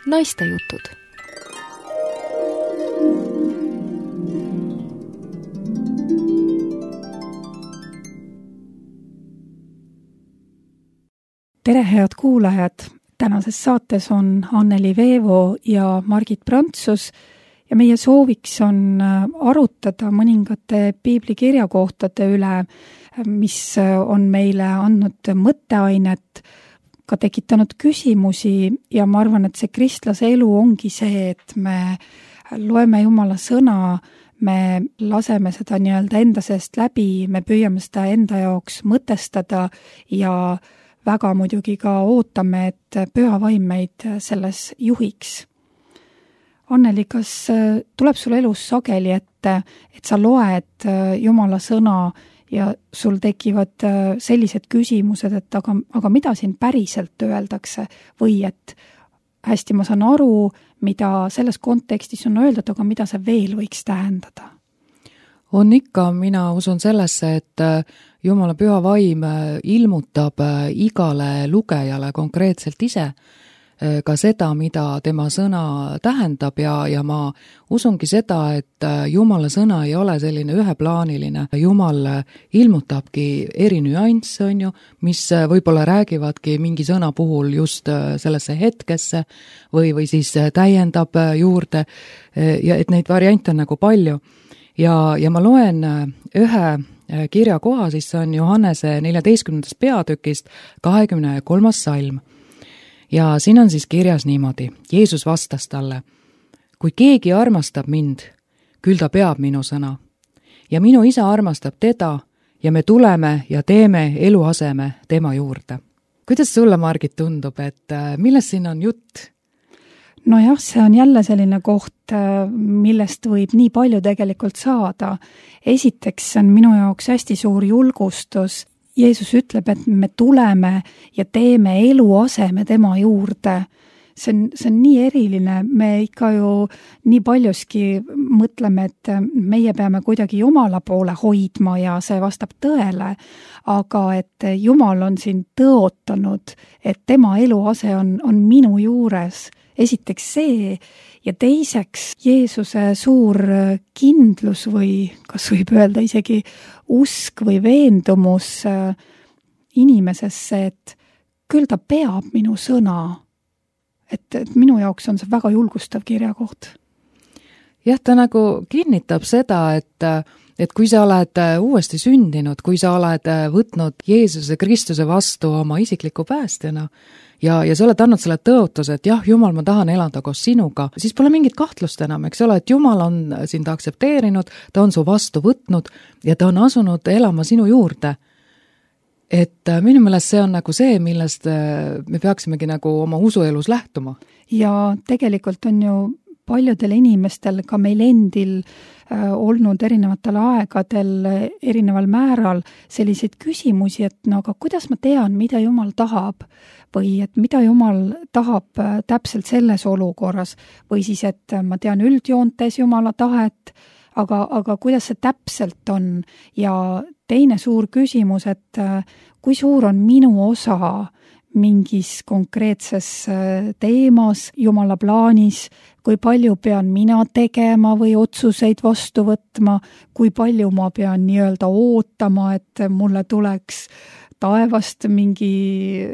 Naistejutud. Tere, head kuulajad! Tänases saates on Anneli Veevo ja Margit Prantsus ja meie sooviks on arutada mõningate piiblikirjakohtade üle, mis on meile andnud mõtteainet, ka tekitanud küsimusi ja ma arvan, et see kristlase elu ongi see, et me loeme Jumala sõna, me laseme seda nii-öelda enda seest läbi, me püüame seda enda jaoks mõtestada ja väga muidugi ka ootame, et püha vaim meid selles juhiks. Anneli, kas tuleb sul elus sageli ette, et sa loed Jumala sõna ja sul tekivad sellised küsimused, et aga mida siin päriselt öeldakse või et hästi ma saan aru, mida selles kontekstis on öeldud, aga mida see veel võiks tähendada? On ikka, mina usun sellesse, et Jumala püha vaim ilmutab igale lugejale konkreetselt ise ka seda, mida tema sõna tähendab ja ma usungi seda, et Jumala sõna ei ole selline üheplaaniline. Jumal ilmutabki eri nüansse, on ju, mis võib-olla räägivadki mingi sõna puhul just sellesse hetkesse või siis täiendab juurde ja et neid variante on nagu palju. Ja ma loen ühe kirjakoha, siis see on Johannese 14. peatükist 23. salm. Ja siin on siis kirjas niimoodi. Jeesus vastas talle, kui keegi armastab mind, küll ta peab minu sõna. Ja minu isa armastab teda ja me tuleme ja teeme eluaseme tema juurde. Kuidas sulle, Margit, tundub, et millest siin on jutt? Nojah, see on jälle selline koht, millest võib nii palju tegelikult saada. Esiteks on minu jaoks hästi suur julgustus. Jeesus ütleb, et me tuleme ja teeme eluaseme tema juurde. See on nii eriline, me ikka ju nii paljuski mõtleme, et meie peame kuidagi Jumala poole hoidma ja see vastab tõele, aga et Jumal on siin tõotanud, et tema eluase on minu juures. Esiteks see ja teiseks Jeesuse suur kindlus või kas võib öelda isegi usk või veendumus inimesesse, et küll ta peab minu sõna. Et minu jaoks on see väga julgustav kirjakoht. Jah, ta nagu kinnitab seda, et kui sa oled uuesti sündinud, kui sa oled võtnud Jeesuse Kristuse vastu oma isikliku päästjana ja sa oled andnud selle tõotuse, et jah, Jumal, ma tahan elada koos sinuga, siis pole mingit kahtlust enam, eks ole, et Jumal on sind aktsepteerinud, ta on su vastu võtnud ja ta on asunud elama sinu juurde. Et minu meelest see on nagu see, millest me peaksimegi nagu oma usuelus lähtuma. Ja tegelikult on ju paljudel inimestel, ka meil endil olnud erinevatel aegadel, erineval määral selliseid küsimusi, et no aga kuidas ma tean, mida Jumal tahab või et mida Jumal tahab täpselt selles olukorras või siis, et ma tean üldjoontes Jumala tahet, aga kuidas see täpselt on ja teine suur küsimus, et kui suur on minu osa mingis konkreetses teemas, Jumala plaanis, kui palju pean mina tegema või otsuseid vastu võtma, kui palju ma pean nii-öelda ootama, et mulle tuleks taevast mingi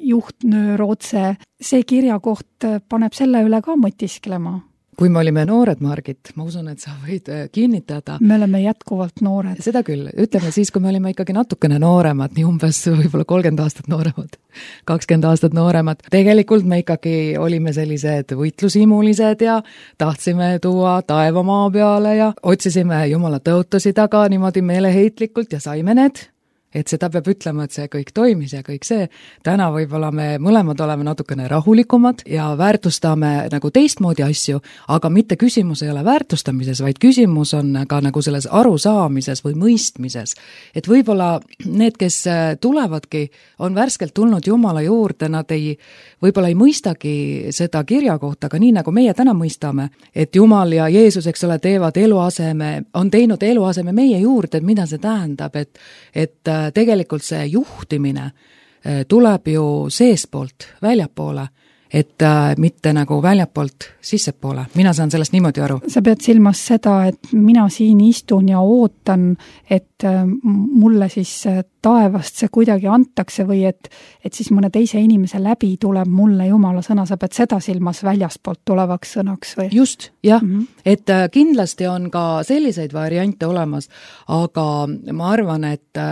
juhtnöör otse. See kirjakoht paneb selle üle ka mõtisklema. Kui me olime noored, Margit, ma usun, et sa võid kinnitada. Me oleme jätkuvalt noored. Seda küll. Ütleme siis, kui me olime ikkagi natukene nooremad, nii umbes võib-olla 30 aastat nooremad, 20 aastat nooremad. Tegelikult me ikkagi olime sellised võitlusimulised ja tahtsime tuua taevamaa peale ja otsisime Jumala tõotusi taga niimoodi meeleheitlikult ja saime need. Et seda peab ütlema, et see kõik toimis ja kõik see. Täna võib-olla me mõlemad oleme natukene rahulikumad ja väärtustame nagu teistmoodi asju, aga mitte küsimus ei ole väärtustamises, vaid küsimus on ka nagu selles arusaamises või mõistmises. Et võib-olla need, kes tulevadki, on värskelt tulnud Jumala juurde, nad võib-olla ei mõistagi seda kirjakohta, aga nii nagu meie täna mõistame, et Jumal ja Jeesus, eks ole, on teinud eluaseme meie juurde, et mida see tähendab, et tegelikult see juhtimine tuleb ju seespoolt väljapoole, et mitte nagu väljapoolt sissepoole. Mina saan sellest niimoodi aru. Sa pead silmas seda, et mina siin istun ja ootan, et mulle siis taevast see kuidagi antakse või et siis mõne teise inimese läbi tuleb mulle Jumala sõna, sa pead seda silmas väljastpoolt tulevaks sõnaks või? Just, jah. Et kindlasti on ka selliseid variante olemas, aga ma arvan, et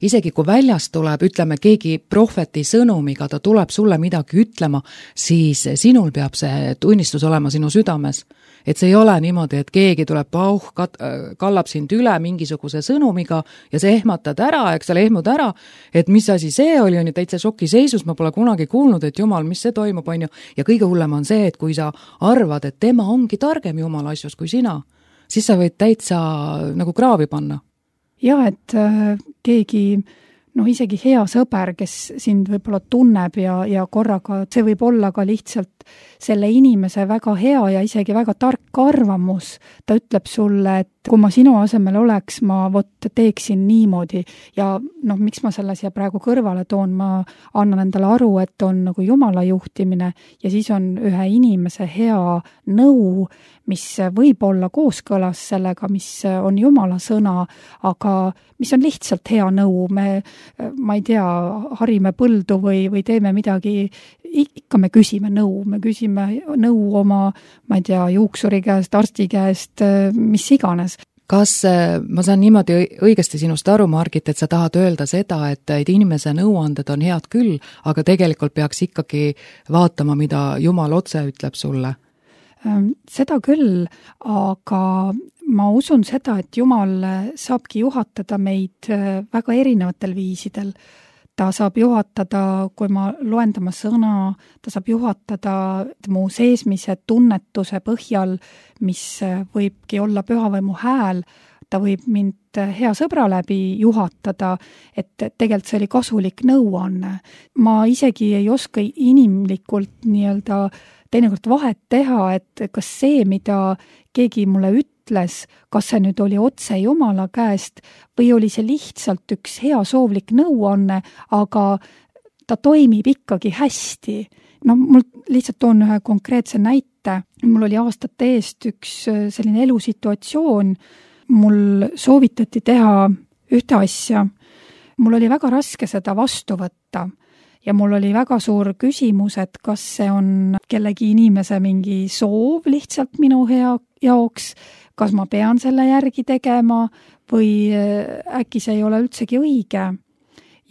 isegi kui väljast tuleb, ütleme, keegi prohveti sõnumiga, ta tuleb sulle midagi ütlema, siis sinul peab see tunnistus olema sinu südames. Et see ei ole niimoodi, et keegi tuleb kallab sind üle mingisuguse sõnumiga ja see ehmatad ära, eks ole, ehmud ära, et mis asi see oli, on ju täitsa šokiseisus, ma pole kunagi kuulnud, et Jumal, mis see toimub, on ju, ja kõige hullem on see, et kui sa arvad, et tema ongi targem Jumala asjus kui sina, siis sa võid täitsa nagu kraavi panna. Ja, et keegi isegi hea sõber, kes sind võib-olla tunneb ja korraga, see võib olla ka lihtsalt selle inimese väga hea ja isegi väga tark arvamus. Ta ütleb sulle, et kui ma sinu asemel oleks, ma teeksin niimoodi ja miks ma selle siia praegu kõrvale toon, ma annan endale aru, et on nagu Jumala juhtimine ja siis on ühe inimese hea nõu, mis võib olla kooskõlas sellega, mis on Jumala sõna, aga mis on lihtsalt hea nõu. Ma ei tea, harime põldu või teeme midagi, ikka me küsime nõu. Me küsime nõu oma, ma ei tea, juuksuri käest, arsti käest, mis iganes. Kas ma saan niimoodi õigesti sinust aru, Margit, et sa tahad öelda seda, et inimese nõuanded on head küll, aga tegelikult peaks ikkagi vaatama, mida Jumal otse ütleb sulle? Seda küll, aga ma usun seda, et Jumal saabki juhatada meid väga erinevatel viisidel. Ta saab juhatada, kui ma loen tema sõna, ta saab juhatada mu seesmise tunnetuse põhjal, mis võibki olla pühavaimu hääl, ta võib mind hea sõbra läbi juhatada, et tegelikult see oli kasulik nõuanne. Ma isegi ei oska inimlikult nii-öelda teinekord vahet teha, et kas see, mida keegi mulle ütles, kas see nüüd oli otse Jumala käest või oli see lihtsalt üks hea soovlik nõuanne, aga ta toimib ikkagi hästi. Mul lihtsalt toon ühe konkreetse näite. Mul oli aastate eest üks selline elusituatsioon, mul soovitati teha ühte asja. Mul oli väga raske seda vastu võtta. Ja mul oli väga suur küsimus, et kas see on kellegi inimese mingi soov lihtsalt minu jaoks, kas ma pean selle järgi tegema või äkki see ei ole üldsegi õige.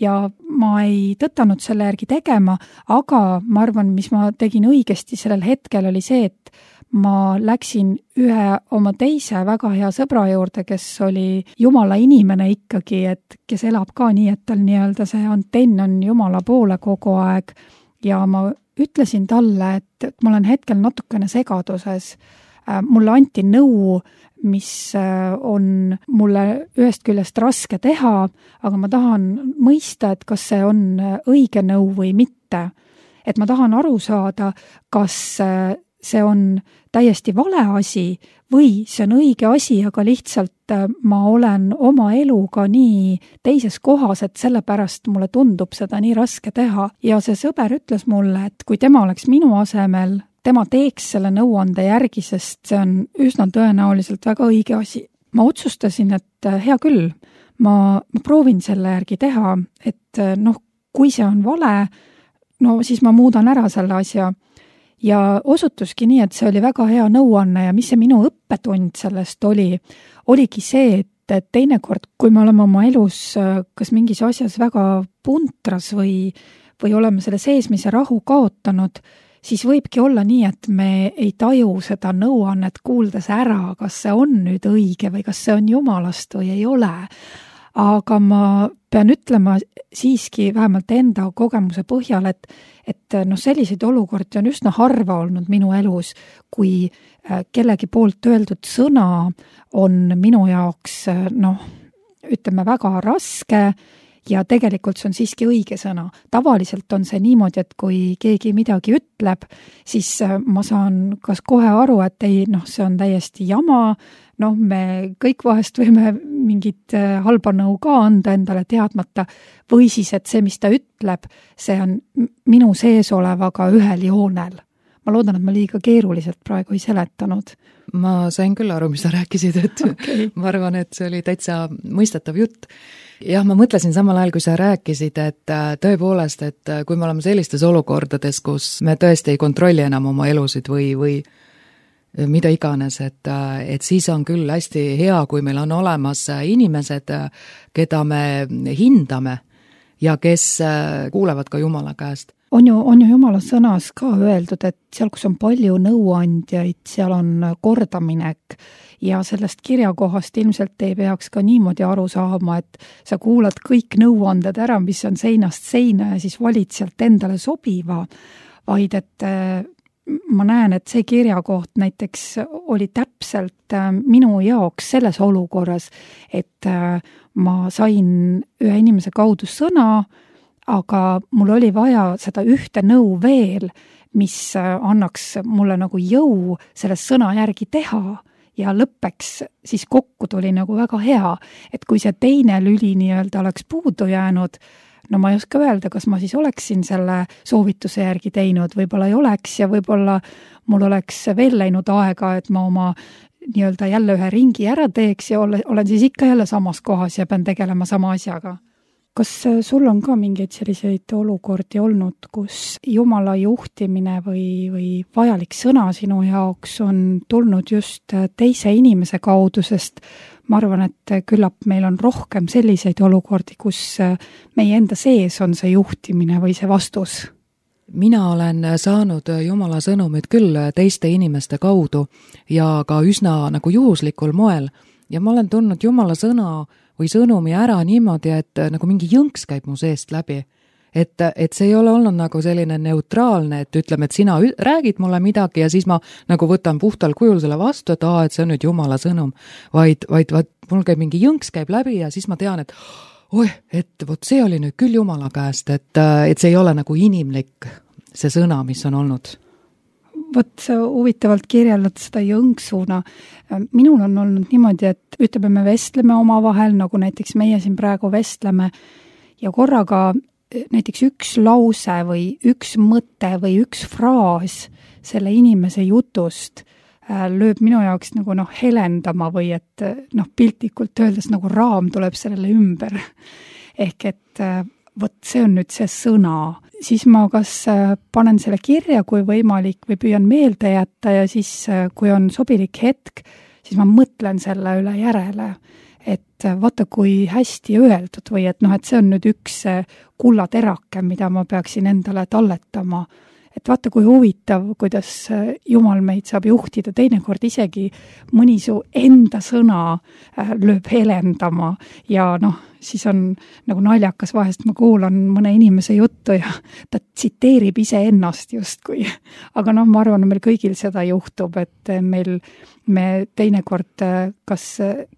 Ja ma ei tõtanud selle järgi tegema, aga ma arvan, mis ma tegin õigesti sellel hetkel oli see, et ma läksin ühe oma teise väga hea sõbra juurde, kes oli Jumala inimene ikkagi, et kes elab ka nii, et tal nii-öelda see antenn on Jumala poole kogu aeg ja ma ütlesin talle, et ma olen hetkel natukene segaduses. Mulle anti nõu, mis on mulle ühest küljest raske teha, aga ma tahan mõista, et kas see on õige nõu või mitte. Et ma tahan aru saada, kas see on täiesti vale asi või see on õige asi, aga lihtsalt ma olen oma eluga nii teises kohas, et sellepärast mulle tundub seda nii raske teha. Ja see sõber ütles mulle, et kui tema oleks minu asemel, tema teeks selle nõuande järgi, sest see on üsna tõenäoliselt väga õige asi. Ma otsustasin, et hea küll, ma proovin selle järgi teha, et kui see on vale, siis ma muudan ära selle asja. Ja osutuski nii, et see oli väga hea nõuanne ja mis see minu õppetund sellest oligi see, et teinekord, kui me oleme oma elus kas mingis asjas väga puntras või oleme selle seesmise rahu kaotanud, siis võibki olla nii, et me ei taju seda nõuannet kuuldes ära, kas see on nüüd õige või kas see on Jumalast või ei ole. Aga ma pean ütlema siiski vähemalt enda kogemuse põhjal, et selliseid olukordi on üsna harva olnud minu elus, kui kellegi poolt öeldud sõna on minu jaoks, ütleme, väga raske ja tegelikult see on siiski õige sõna. Tavaliselt on see niimoodi, et kui keegi midagi ütleb, siis ma saan kas kohe aru, et ei, see on täiesti jama, me kõik vahest võime mingit halba nõu ka anda endale teadmata, või siis, et see, mis ta ütleb, see on minu sees olevaga ühel joonel. Ma loodan, et ma liiga keeruliselt praegu ei seletanud. Ma sain küll aru, mis sa rääkisid, et okay. Ma arvan, et see oli täitsa mõistetav jutt. Jah, ma mõtlesin samal ajal, kui sa rääkisid, et tõepoolest, et kui me oleme sellistes olukordades, kus me tõesti ei kontrolli enam oma elusid või mida iganes, et siis on küll hästi hea, kui meil on olemas inimesed, keda me hindame ja kes kuulevad ka Jumala käest. On ju Jumala sõnas ka öeldud, et seal, kus on palju nõuandjaid, seal on kordaminek ja sellest kirjakohast ilmselt ei peaks ka niimoodi aru saama, et sa kuulad kõik nõuanded ära, mis on seinast seina ja siis valid sealt endale sobiva, vaid et ma näen, et see kirjakoht näiteks oli täpselt minu jaoks selles olukorras, et ma sain ühe inimese kaudu sõna, aga mul oli vaja seda ühte nõu veel, mis annaks mulle nagu jõu selle sõna järgi teha ja lõppeks siis kokku tuli nagu väga hea, et kui see teine lüli nii-öelda oleks puudu jäänud, ma ei oska öelda, kas ma siis oleksin selle soovituse järgi teinud, võib-olla ei oleks ja võib-olla mul oleks veel läinud aega, et ma oma nii-öelda jälle ühe ringi ära teeks ja olen siis ikka jälle samas kohas ja pean tegelema sama asjaga. Kas sul on ka mingeid selliseid olukordi olnud, kus Jumala juhtimine või vajalik sõna sinu jaoks on tulnud just teise inimese kaudu, sest ma arvan, et küllap meil on rohkem selliseid olukordi, kus meie enda sees on see juhtimine või see vastus? Mina olen saanud Jumala sõnumid küll teiste inimeste kaudu ja ka üsna nagu juhuslikul moel ja ma olen tundnud Jumala sõna või sõnumi ära niimoodi, et nagu mingi jõnks käib mu seest läbi. Et see ei ole olnud nagu selline neutraalne, et ütleme, et sina räägid mulle midagi ja siis ma nagu võtan puhtal kujul selle vastu, et et see on nüüd Jumala sõnum. Vaid mul käib mingi jõnks käib läbi ja siis ma tean, et et vot see oli nüüd küll Jumala käest, et see ei ole nagu inimlik see sõna, mis on olnud. Vot sa huvitavalt kirjeldad seda jõnksuna. Minul on olnud niimoodi, et ütleme, me vestleme omavahel, nagu näiteks meie siin praegu vestleme ja korraga näiteks üks lause või üks mõte või üks fraas selle inimese jutust lööb minu jaoks nagu helendama või et piltlikult öeldes nagu raam tuleb sellele ümber. Ehk et vot see on nüüd see sõna. Siis ma kas panen selle kirja, kui võimalik, või püüan meelde jätta ja siis, kui on sobilik hetk, siis ma mõtlen selle üle järele, et vaata, kui hästi öeldud või et see on nüüd üks kullaterake, mida ma peaksin endale talletama. Et vaata, kui huvitav, kuidas Jumal meid saab juhtida, teinekord isegi mõni su enda sõna lööb helendama ja siis on nagu naljakas vahest, ma kuulan mõne inimese juttu ja ta tsiteerib ise ennast justkui. Aga ma arvan, meil kõigil seda juhtub, et me teinekord kas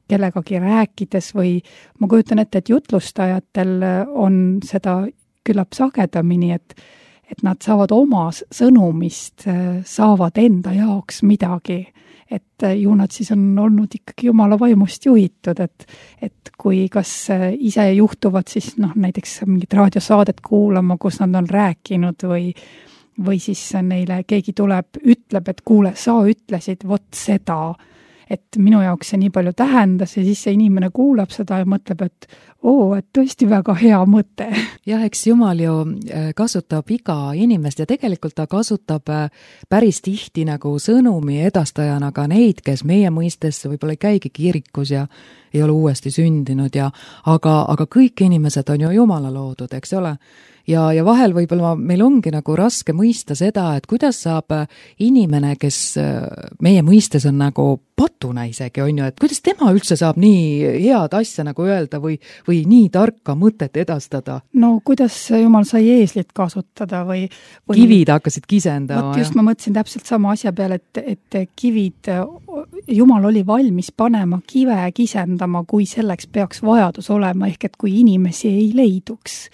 kellegagi rääkides või ma kujutan ette, et jutlustajatel on seda küllap sagedamini, et nad saavad oma sõnumist, saavad enda jaoks midagi, et ju nad siis on olnud ikkagi Jumala vaimust juhitud, et kui kas ise juhtuvad siis näiteks mingit raadiosaadet kuulama, kus nad on rääkinud või siis neile keegi tuleb, ütleb, et kuule, sa ütlesid vot seda, et minu jaoks see nii palju tähendas ja siis see inimene kuulab seda ja mõtleb, et et tõesti väga hea mõte. Jah, eks Jumal ju kasutab iga inimest ja tegelikult ta kasutab päris tihti nagu sõnumi edastajana ka neid, kes meie mõistes võib-olla ei käigi kirikus ja ei ole uuesti sündinud aga kõik inimesed on ju Jumala loodud, eks ole? Ja vahel võib-olla meil ongi nagu raske mõista seda, et kuidas saab inimene, kes meie mõistes on nagu patuna isegi, on ju, et kuidas tema üldse saab nii head asja nagu öelda või nii tarka mõtet edastada? No kuidas Jumal sai eeslit kasutada või kivid hakkasid kisendama. Just ma mõtlesin täpselt sama asja peale, et kivid, Jumal oli valmis panema kive kisendama parandama, kui selleks peaks vajadus olema, ehk et kui inimesi ei leiduks.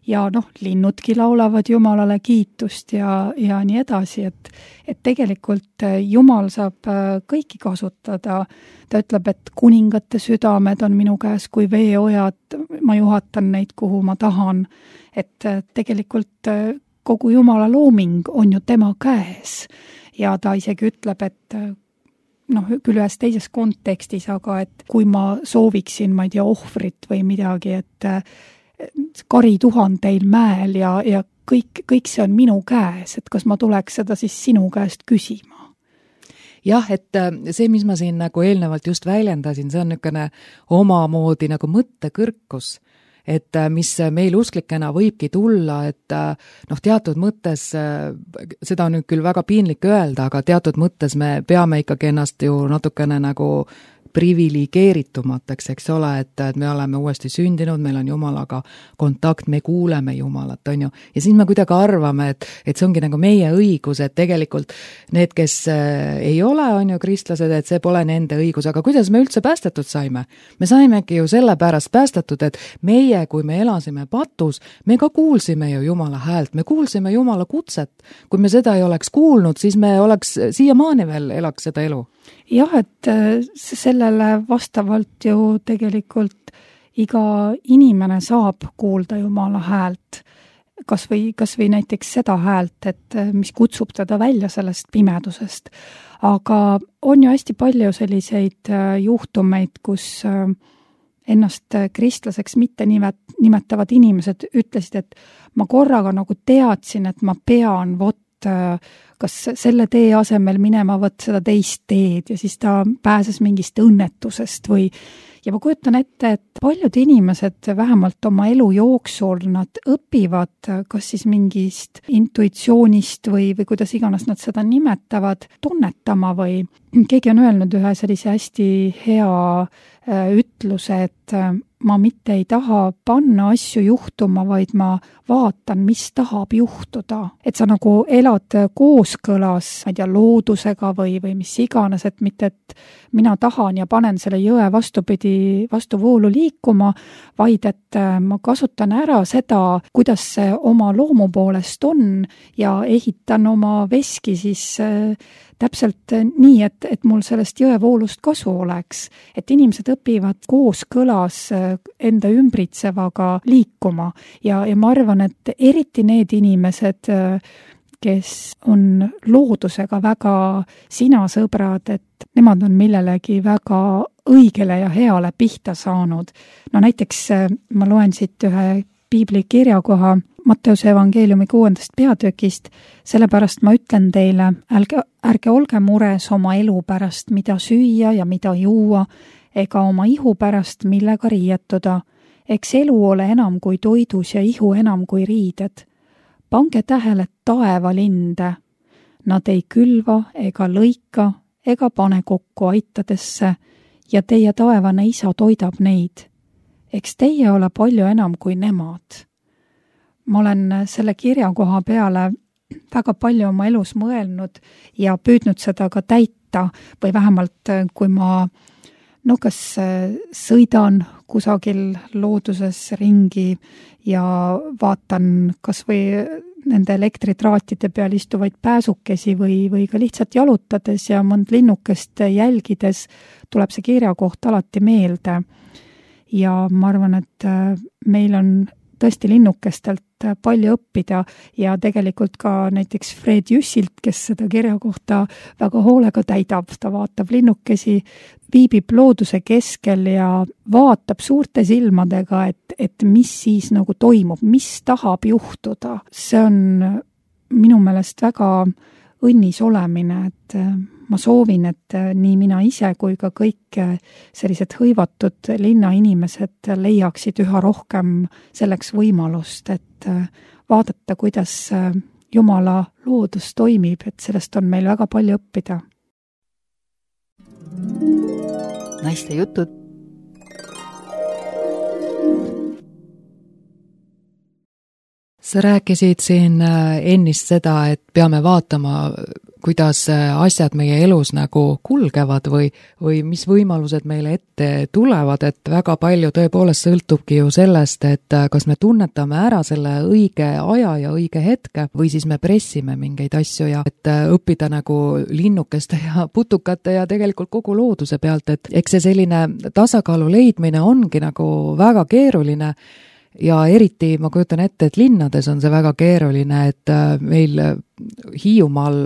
Ja linnudki laulavad Jumalale kiitust ja nii edasi, et tegelikult Jumal saab kõiki kasutada. Ta ütleb, et kuningate südamed on minu käes kui veeojad, ma juhatan neid, kuhu ma tahan. Et tegelikult kogu Jumala looming on ju tema käes ja ta isegi ütleb, et küll ühes teises kontekstis, aga et kui ma sooviksin, ma ei tea, ohvrit või midagi, et kari tuhandeil mäel ja kõik see on minu käes, et kas ma tuleks seda siis sinu käest küsima? Jah, et see, mis ma siin nagu eelnevalt just väljendasin, see on niisugune omamoodi nagu mõttekõrkus, et mis meil usklikena võibki tulla, et teatud mõttes, seda on nüüd küll väga piinlik öelda, aga teatud mõttes me peame ikkagi ennast ju natukene nagu privilegeeritumateks, eks ole, et me oleme uuesti sündinud, meil on Jumalaga kontakt, me kuuleme Jumalat, on ju. Ja siis me kuidagi arvame, et see ongi nagu meie õigus, et tegelikult need, kes ei ole, on ju kristlased, et see pole nende õigus, aga kuidas me üldse päästetud saime? Me saimegi ju sellepärast päästetud, et meie, kui me elasime patus, me ka kuulsime ju Jumala häält, me kuulsime Jumala kutset. Kui me seda ei oleks kuulnud, siis me oleks siiamaani veel elaks seda elu. Jah, et sellele vastavalt ju tegelikult iga inimene saab kuulda Jumala häält, kas või näiteks seda häält, et mis kutsub teda välja sellest pimedusest. Aga on ju hästi palju selliseid juhtumeid, kus ennast kristlaseks mitte nimetavad inimesed ütlesid, et ma korraga nagu teadsin, et ma pean kas selle tee asemel minema seda teist teed ja siis ta pääses mingist õnnetusest ja ma kujutan ette, et paljud inimesed vähemalt oma elu jooksul nad õpivad kas siis mingist intuitsioonist või kuidas iganes nad seda nimetavad, tunnetama või keegi on öelnud ühe sellise hästi hea ütluse, et ma mitte ei taha panna asju juhtuma, vaid ma vaatan, mis tahab juhtuda. Et sa nagu elad kooskõlas, ma ei tea, loodusega või mis iganes, et mitte, et mina tahan ja panen selle jõe vastuvoolu liikuma, vaid et ma kasutan ära seda, kuidas see oma loomu poolest on ja ehitan oma veski siis täpselt nii, et mul sellest jõevoolust kasu oleks. Et inimesed õpivad kooskõlas enda ümbritsevaga liikuma ja ma arvan, et eriti need inimesed, kes on loodusega väga sinasõbrad, et nemad on millelegi väga õigele ja heale pihta saanud. No näiteks ma loen siit ühe piibli kirjakoha Matteuse evangeeliumi 6. peatükist, sellepärast ma ütlen teile, ärge olge mures oma elu pärast, mida süüa ja mida juua, ega oma ihu pärast, millega riietuda. Eks elu ole enam kui toidus ja ihu enam kui riided. Pange tähele taevalinde. Nad ei külva ega lõika ega pane kokku aitadesse ja teie taevane isa toidab neid. Eks teie ole palju enam kui nemad. Ma olen selle kirjakoha peale väga palju oma elus mõelnud ja püüdnud seda ka täita või vähemalt kui ma kas sõidan kusagil looduses ringi ja vaatan kas või nende elektritraatide peal istuvaid pääsukesi või ka lihtsalt jalutades ja mõnd linnukest jälgides tuleb see kirjakoht alati meelde. Ja ma arvan, et meil on tõesti linnukestelt palju õppida ja tegelikult ka näiteks Fred Jüssilt, kes seda kirjakohta väga hoolega täidab, ta vaatab linnukesi, viibib looduse keskel ja vaatab suurte silmadega, et mis siis nagu toimub, mis tahab juhtuda. See on minu meelest väga õnnis olemine, et ma soovin, et nii mina ise kui ka kõik sellised hõivatud linnainimesed leiaksid üha rohkem selleks võimalust, et vaadata, kuidas Jumala loodus toimib, et sellest on meil väga palju õppida. Naiste jutud. Sa rääkisid siin ennist seda, et peame vaatama kuidas asjad meie elus nagu kulgevad või mis võimalused meile ette tulevad, et väga palju tõepoolest sõltubki ju sellest, et kas me tunnetame ära selle õige aja ja õige hetke või siis me pressime mingeid asju ja et õppida nagu linnukeste ja putukate ja tegelikult kogu looduse pealt, et eks see selline tasakaalu leidmine ongi nagu väga keeruline ja eriti ma kujutan ette, et linnades on see väga keeruline, et meil Hiiumaal,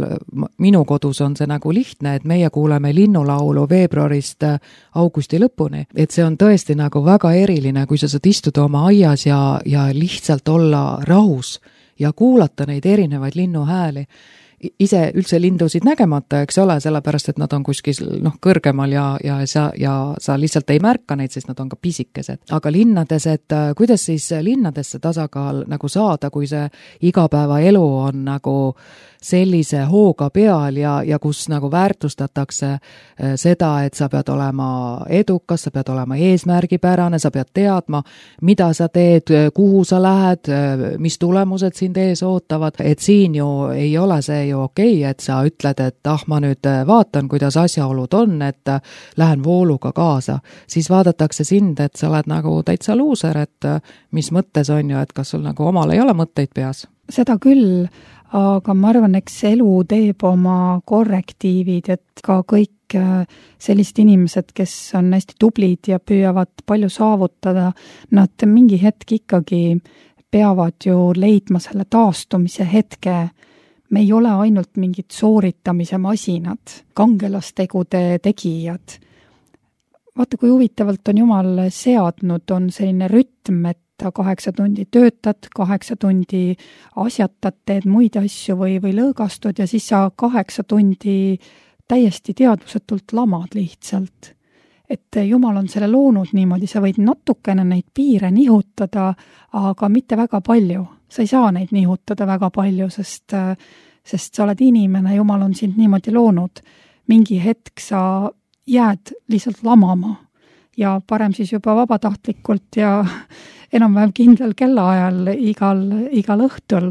minu kodus on see nagu lihtne, et meie kuuleme linnulaulu veebruarist augusti lõpuni, et see on tõesti nagu väga eriline, kui sa saad istuda oma aias ja lihtsalt olla rahus ja kuulata neid erinevaid linnuhääli. Ise üldse lindusid nägemata, eks ole, sellepärast, et nad on kuskil kõrgemal ja sa lihtsalt ei märka neid, sest nad on ka pisikesed. Aga linnades, et kuidas siis linnadesse tasakaal nagu saada, kui see igapäevaelu on nagu sellise hooga peal ja kus nagu väärtustatakse seda, et sa pead olema edukas, sa pead olema eesmärgipärane, sa pead teadma, mida sa teed, kuhu sa lähed, mis tulemused sind ees ootavad, et siin ju ei ole see ju okei, et sa ütled, et ma nüüd vaatan, kuidas asjaolud on, et lähen vooluga kaasa. Siis vaadatakse sind, et sa oled nagu täitsa luuser, et mis mõttes on ju, et kas sul nagu omal ei ole mõtteid peas? Seda küll, aga ma arvan, eks elu teeb oma korrektiivid, et ka kõik sellised inimesed, kes on hästi tublid ja püüavad palju saavutada, nad mingi hetk ikkagi peavad ju leidma selle taastumise hetke. Me ei ole ainult mingid sooritamise masinad, kangelastegude tegijad. Vaata, kui huvitavalt on Jumal seadnud, on selline rütm, et 8 tundi töötad, 8 tundi asjatad, teed muid asju või lõõgastud ja siis sa 8 tundi täiesti teadvusetult lamad lihtsalt. Et Jumal on selle loonud niimoodi, sa võid natukene neid piire nihutada, aga mitte väga palju. Sa ei saa neid nihutada väga palju, sest sa oled inimene, Jumal on sind niimoodi loonud. Mingi hetk sa jääd lihtsalt lamama ja parem siis juba vabatahtlikult ja enam-vähem kindlal kellaajal igal õhtul,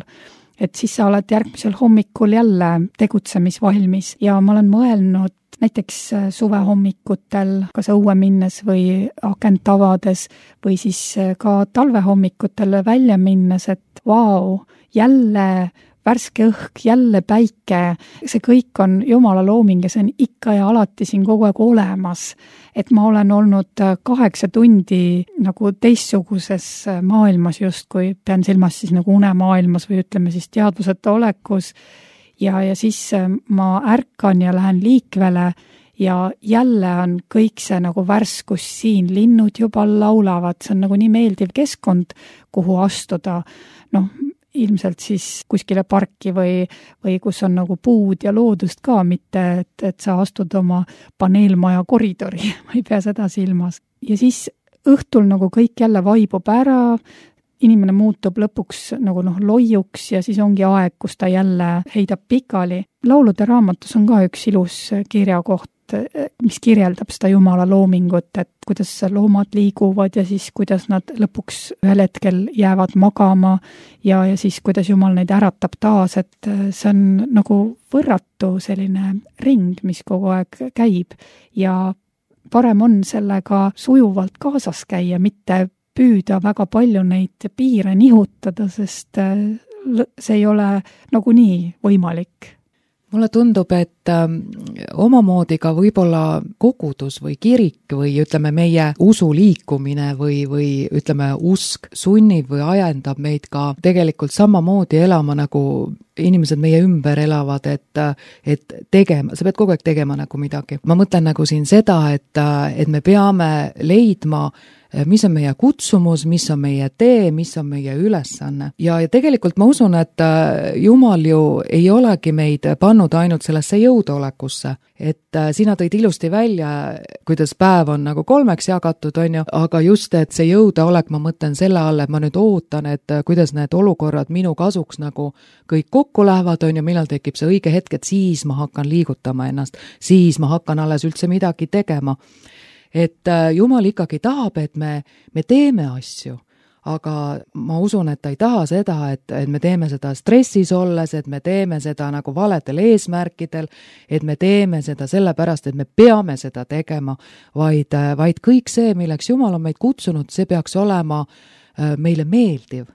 et siis sa oled järgmisel hommikul jälle tegutsemisvalmis ja ma olen mõelnud näiteks suvehommikutel, kas õue minnes või akent avades või siis ka talvehommikutel välja minnes, et vau, jälle värske õhk, jälle päike, see kõik on Jumala looming ja see on ikka ja alati siin kogu aeg olemas. Et ma olen olnud 8 tundi nagu teistsuguses maailmas justkui, pean silmas siis nagu unemaailmas või ütleme siis teadvuseta olekus ja siis ma ärkan ja lähen liikvele ja jälle on kõik see nagu värskus siin, linnud juba laulavad, see on nagu nii meeldiv keskkond, kuhu astuda, ilmselt siis kuskile parki või kus on nagu puud ja loodust ka, mitte et sa astud oma paneelmaja koridori, ma ei pea seda silmas. Ja siis õhtul nagu kõik jälle vaibub ära, inimene muutub lõpuks nagu loiuks ja siis ongi aeg, kus ta jälle heidab pikali. Laulude raamatus on ka üks ilus kirjakoht, mis kirjeldab seda Jumala loomingut, et kuidas loomad liiguvad ja siis kuidas nad lõpuks ühel hetkel jäävad magama ja siis kuidas Jumal neid äratab taas, et see on nagu võrratu selline ring, mis kogu aeg käib ja parem on sellega sujuvalt kaasas käia, mitte püüda väga palju neid piire nihutada, sest see ei ole nagunii võimalik. Mulle tundub, et omamoodi ka võib-olla kogudus või kirik või ütleme meie usuliikumine või ütleme usk sunnib või ajendab meid ka tegelikult samamoodi elama nagu inimesed meie ümber elavad, et tegema, sa pead kogu aeg tegema nagu midagi. Ma mõtlen nagu siin seda, et me peame leidma mis on meie kutsumus, mis on meie tee, mis on meie ülesanne. Ja tegelikult ma usun, et Jumal ju ei olegi meid pannud ainult sellesse jõudolekusse. Et sina tõid ilusti välja, kuidas päev on nagu 3 jagatud, on ju, aga just, et see jõudaolek, ma mõtlen selle all, et ma nüüd ootan, et kuidas need olukorrad minu kasuks nagu kõik kokku lähevad, on ju, millal tekib see õige hetk, et siis ma hakkan liigutama ennast, siis ma hakkan alles üldse midagi tegema. Et Jumal ikkagi tahab, et me teeme asju, aga ma usun, et ta ei taha seda, et me teeme seda stressis olles, et me teeme seda nagu valedel eesmärkidel, et me teeme seda sellepärast, et me peame seda tegema, vaid kõik see, milleks Jumal on meid kutsunud, see peaks olema meile meeldiv.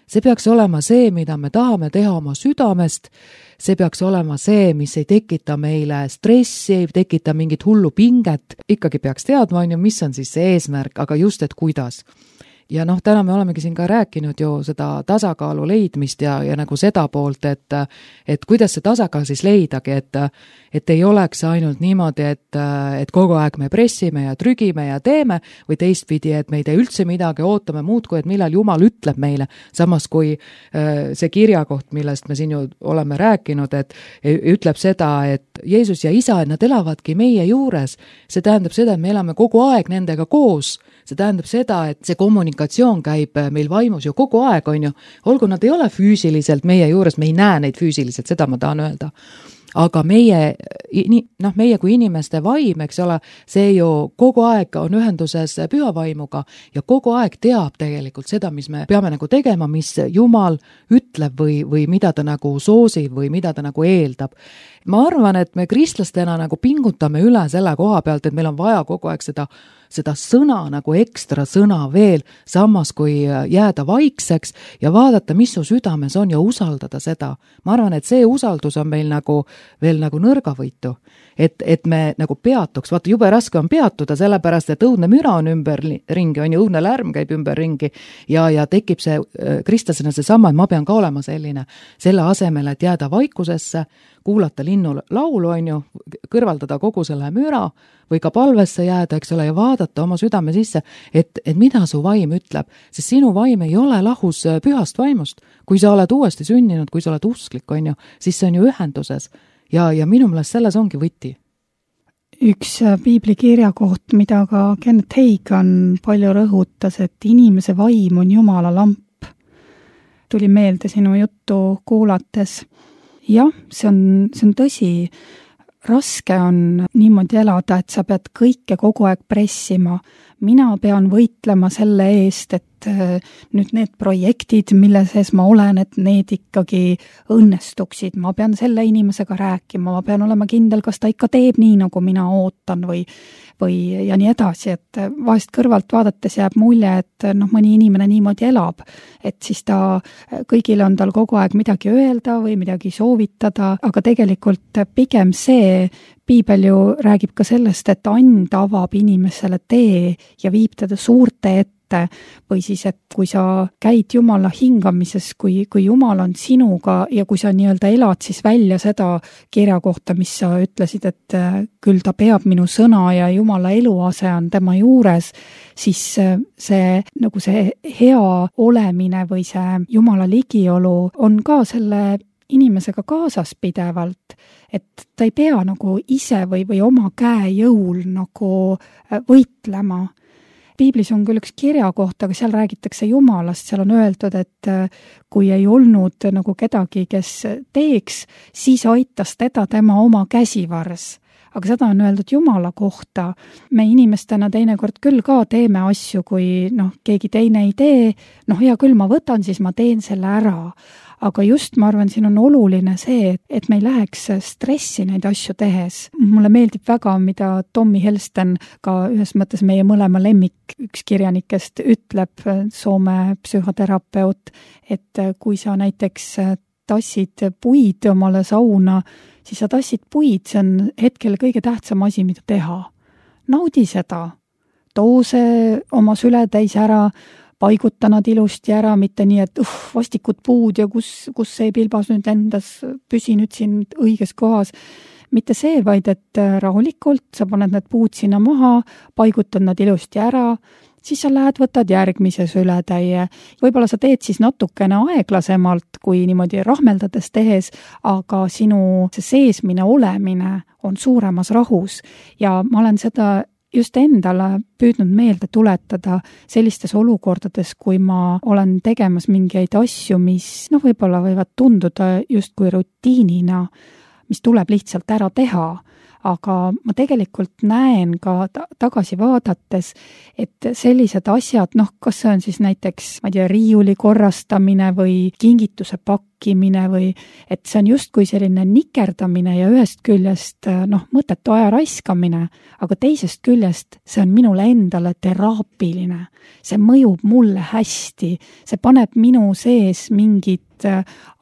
See peaks olema see, mida me tahame teha oma südamest, see peaks olema see, mis ei tekita meile stressi, ei tekita mingit hullu pinget, ikkagi peaks teadma, mis on siis see eesmärk, aga just, et kuidas. Ja täna me olemegi siin ka rääkinud ju seda tasakaalu leidmist ja nagu seda poolt, et kuidas see tasakaal siis leidagi, et ei oleks ainult niimoodi, et kogu aeg me pressime ja trügime ja teeme, või teistpidi, et me ei tee üldse midagi, ootame muud kui, et millal Jumal ütleb meile, samas kui see kirjakoht, millest me siin ju oleme rääkinud, et ütleb seda, et Jeesus ja Isa, et nad elavadki meie juures, see tähendab seda, et me elame kogu aeg nendega koos, see tähendab seda, et see kommunikatsioon käib meil vaimus ju kogu aeg, on ju, olgu nad ei ole füüsiliselt meie juures, me ei näe neid füüsiliselt, seda ma tahan öelda. Aga meie kui inimeste vaim, eks ole, see ju kogu aeg on ühenduses püha vaimuga ja kogu aeg teab tegelikult seda, mis me peame nagu tegema, mis Jumal ütleb või mida ta nagu soosib või mida ta nagu eeldab. Ma arvan, et me kristlastena nagu pingutame üle selle koha pealt, et meil on vaja kogu aeg seda sõna nagu ekstra sõna veel, samas kui jääda vaikseks ja vaadata, mis su südames on ja usaldada seda. Ma arvan, et see usaldus on meil nagu veel nagu nõrgavõitu, et me nagu peatuks, vaata jube raske on peatuda, sellepärast et õudne müra on ümber ringi, on ju õudne lärm käib ümber ringi ja tekib see kristlasena see sama, et ma pean ka olema selline, selle asemel, et jääda vaikusesse, kuulata linnu laulu, on ju, kõrvaldada kogu selle müra või ka palvesse jääda, eks ole, ja vaadata oma südame sisse, et mida su vaim ütleb, sest sinu vaim ei ole lahus pühast vaimust. Kui sa oled uuesti sünninud, kui sa oled usklik, on ju, siis see on ju ühenduses ja minu meelest selles ongi võti. Üks piiblikirja koht, mida ka Kenneth Hagin palju rõhutas, et inimese vaim on Jumala lamp. Tuli meelde sinu juttu kuulates. Jah, see on tõsi. Raske on niimoodi elada, et sa pead kõike kogu aeg pressima. Mina pean võitlema selle eest, et nüüd need projektid, mille sees ma olen, et need ikkagi õnnestuksid. Ma pean selle inimesega rääkima, ma pean olema kindel, kas ta ikka teeb nii, nagu mina ootan või ja nii edasi, et vahest kõrvalt vaadates jääb mulje, et mõni inimene niimoodi elab, et siis kõigile on tal kogu aeg midagi öelda või midagi soovitada, aga tegelikult pigem see piibel ju räägib ka sellest, et and avab inimesele tee ja viib teda suurte ette, või siis, et kui sa käid Jumala hingamises, kui Jumal on sinuga ja kui sa nii-öelda elad siis välja seda kirja kohta, mis sa ütlesid, et küll ta peab minu sõna ja Jumala eluase on tema juures, siis see hea olemine või see Jumala ligiolu on ka selle inimesega kaasas pidevalt, et ta ei pea nagu ise või oma käe jõul nagu võitlema. Piiblis on küll üks kirja kohta, aga seal räägitakse Jumalast, seal on öeldud, et kui ei olnud nagu kedagi, kes teeks, siis aitas teda tema oma käsivars. Aga seda on öeldud Jumala kohta. Me inimestena teinekord küll ka teeme asju, kui keegi teine ei tee, hea küll, ma võtan, siis ma teen selle ära. Aga just ma arvan, siin on oluline see, et me ei läheks stressi neid asju tehes. Mulle meeldib väga, mida Tommy Helsten, ka ühes mõttes meie mõlema lemmik, üks kirjanikest ütleb, Soome psühhoterapeut, et kui sa näiteks tassid puid omale sauna, siis sa tassid puid, see on hetkel kõige tähtsam asi, mida teha. Naudi seda, too see oma süle täis ära, paiguta nad ilusti ära, mitte nii, et vastikud puud ja kus see pilbas nüüd lendas, püsi nüüd siin õiges kohas. Mitte see, vaid et rahulikult sa paned need puud sinna maha, paigutad nad ilusti ära, siis sa lähed, võtad järgmise sületäie. Võib-olla sa teed siis natukene aeglasemalt, kui niimoodi rahmeldades tehes, aga sinu see seesmine olemine on suuremas rahus ja ma olen seda just endale püüdnud meelde tuletada sellistes olukordades, kui ma olen tegemas mingeid asju, mis võib-olla võivad tunduda justkui rutiinina, mis tuleb lihtsalt ära teha. aga ma tegelikult näen ka tagasi vaadates, et sellised asjad, kas see on siis näiteks, ma ei tea, riiuli korrastamine või kingituse pakkimine või et see on justkui selline nikerdamine ja ühest küljest mõttetu aja raiskamine, aga teisest küljest see on minule endale teraapiline. See mõjub mulle hästi, see paneb minu sees mingid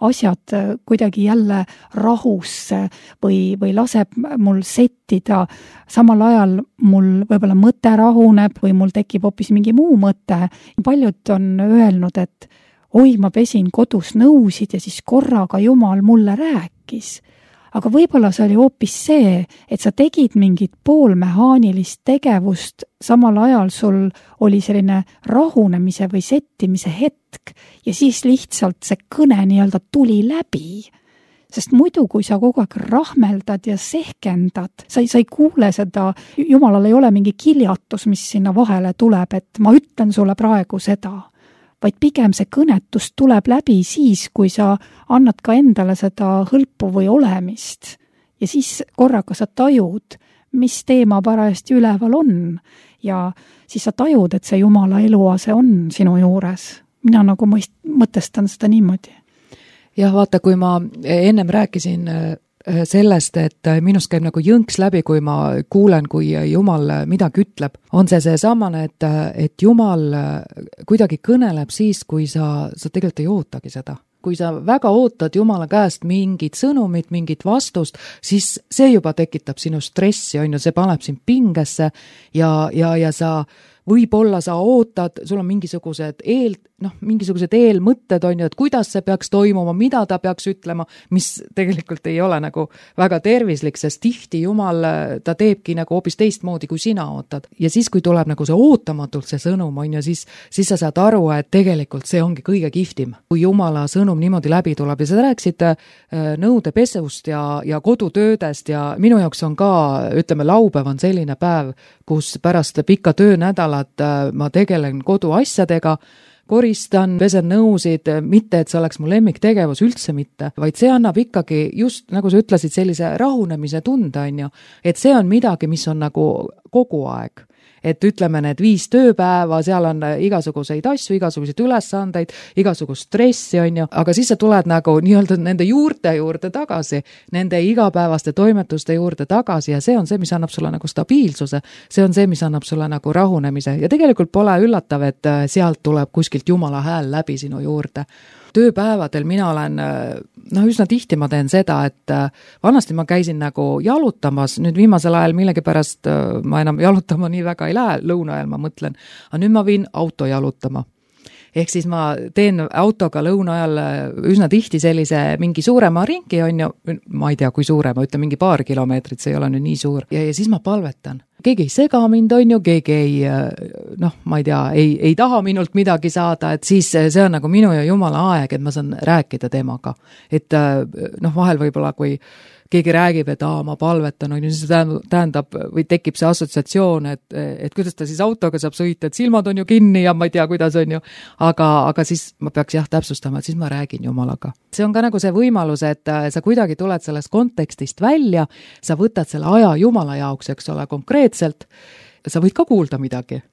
asjad kuidagi jälle rahusse või laseb mul settida. Samal ajal mul võib-olla mõte rahuneb või mul tekib hoopis mingi muu mõte. Paljud on öelnud, et oi, ma pesin kodus nõusid ja siis korraga Jumal mulle rääkis. Aga võib-olla see oli hoopis see, et sa tegid mingit poolmehaanilist tegevust, samal ajal sul oli selline rahunemise või settimise hetk ja siis lihtsalt see kõne nii-öelda tuli läbi. Sest muidu, kui sa kogu aeg rahmeldad ja sehkendad, sa ei kuule seda, Jumalal ei ole mingi kiljatus, mis sinna vahele tuleb, et ma ütlen sulle praegu seda. Vaid pigem see kõnetus tuleb läbi siis, kui sa annad ka endale seda hõlpu või olemist. Ja siis korraga sa tajud, mis teema parajasti üleval on. Ja siis sa tajud, et see Jumala eluase on sinu juures. Mina nagu mõtestan seda niimoodi. Jah, vaata, kui ma ennem rääkisin sellest, et minust käib nagu jõnks läbi, kui ma kuulen, kui Jumal midagi ütleb. On see samane, et Jumal kuidagi kõneleb siis, kui sa tegelikult ei ootagi seda. Kui sa väga ootad Jumala käest mingit sõnumit, mingit vastust, siis see juba tekitab sinu stressi, see paneb sind pingesse ja sa võib-olla sa ootad, sul on mingisugused eelmõtted, et kuidas see peaks toimuma, mida ta peaks ütlema, mis tegelikult ei ole nagu väga tervislik, sest tihti Jumal, ta teebki nagu hoopis teistmoodi, kui sina ootad. Ja siis, kui tuleb nagu see ootamatult see sõnum, siis sa saad aru, et tegelikult see ongi kõige kihvtim. Kui Jumala sõnum niimoodi läbi tuleb ja sa rääksid nõudepesust ja kodutöödest ja minu jaoks on ka, ütleme, laupäev on selline päev, kus pärast pikka töönädalat ma tegelen koduasjadega, koristan, pesen nõusid, mitte et see oleks mu lemmiktegevus, üldse mitte, vaid see annab ikkagi just, nagu sa ütlesid, sellise rahunemise tunde, et see on midagi, mis on nagu kogu aeg. Et ütleme, need 5 tööpäeva, seal on igasuguseid asju, igasuguseid ülesandeid, igasugust stressi, aga siis sa tuled nagu nii-öelda nende juurde tagasi, nende igapäevaste toimetuste juurde tagasi ja see on see, mis annab sulle nagu stabiilsuse, see on see, mis annab sulle nagu rahunemise ja tegelikult pole üllatav, et sealt tuleb kuskilt Jumala hääl läbi sinu juurde. Tööpäevadel mina olen, üsna tihti ma teen seda, et vanasti ma käisin nagu jalutamas, nüüd viimasel ajal millegipärast ma enam jalutama nii väga ei lähe, lõuna ajal ma mõtlen, aga nüüd ma viin auto jalutama. Ehk siis ma teen autoga lõuna ajal üsna tihti sellise mingi suurema ringi, ma ei tea, kui suure, ma ütlen mingi paar kilomeetrit, see ei ole nüüd nii suur. Ja siis ma palvetan. Keegi ei sega mind, keegi ei, ma ei tea, ei taha minult midagi saada, et siis see on nagu minu ja Jumala aeg, et ma saan rääkida temaga. Et vahel võib-olla, kui keegi räägib, et ma palvetan, siis tähendab või tekib see assotsiatsioon, et kuidas ta siis autoga saab sõita, et silmad on ju kinni ja ma ei tea, kuidas on ju, aga siis ma peaks täpsustama, et siis ma räägin Jumalaga. See on ka nagu see võimalus, et sa kuidagi tuled sellest kontekstist välja, sa võtad selle aja Jumala jaoks, eks ole, konkreetselt, sa võid ka kuulda midagi.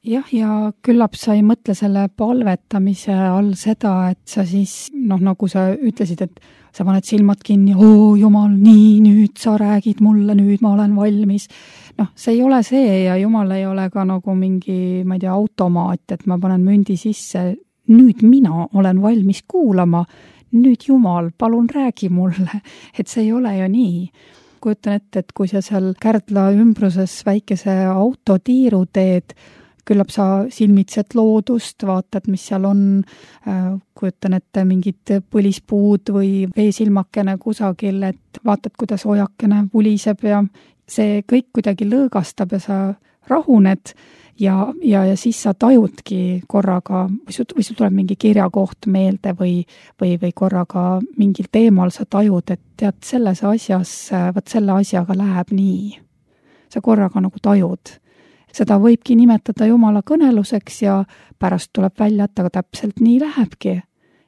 Jah, ja küllap sa ei mõtle selle palvetamise all seda, et sa siis, nagu sa ütlesid, et sa paned silmad kinni, Jumal, nii, nüüd sa räägid mulle, nüüd ma olen valmis. See ei ole see ja Jumal ei ole ka nagu mingi, ma ei tea, automaat, et ma panen mündi sisse, nüüd mina olen valmis kuulama, nüüd Jumal, palun räägi mulle, et see ei ole ju nii. Kujutan ette, et kui sa seal Kärdla ümbruses väikese autotiiru teed, küllap sa silmitsed loodust, vaatad, mis seal on, kujutan ette mingid põlispuud või veesilmakene kusagil, et vaatad, kuidas ojakene vuliseb ja see kõik kuidagi lõõgastab ja sa rahuned ja siis sa tajudki korraga, või sul tuleb mingi kirjakoht meelde või korraga mingil teemal sa tajud, et tead, selles asjas, selle asjaga läheb nii. Sa korraga nagu tajud. Seda võibki nimetada Jumala kõneluseks ja pärast tuleb välja, et aga täpselt nii lähebki.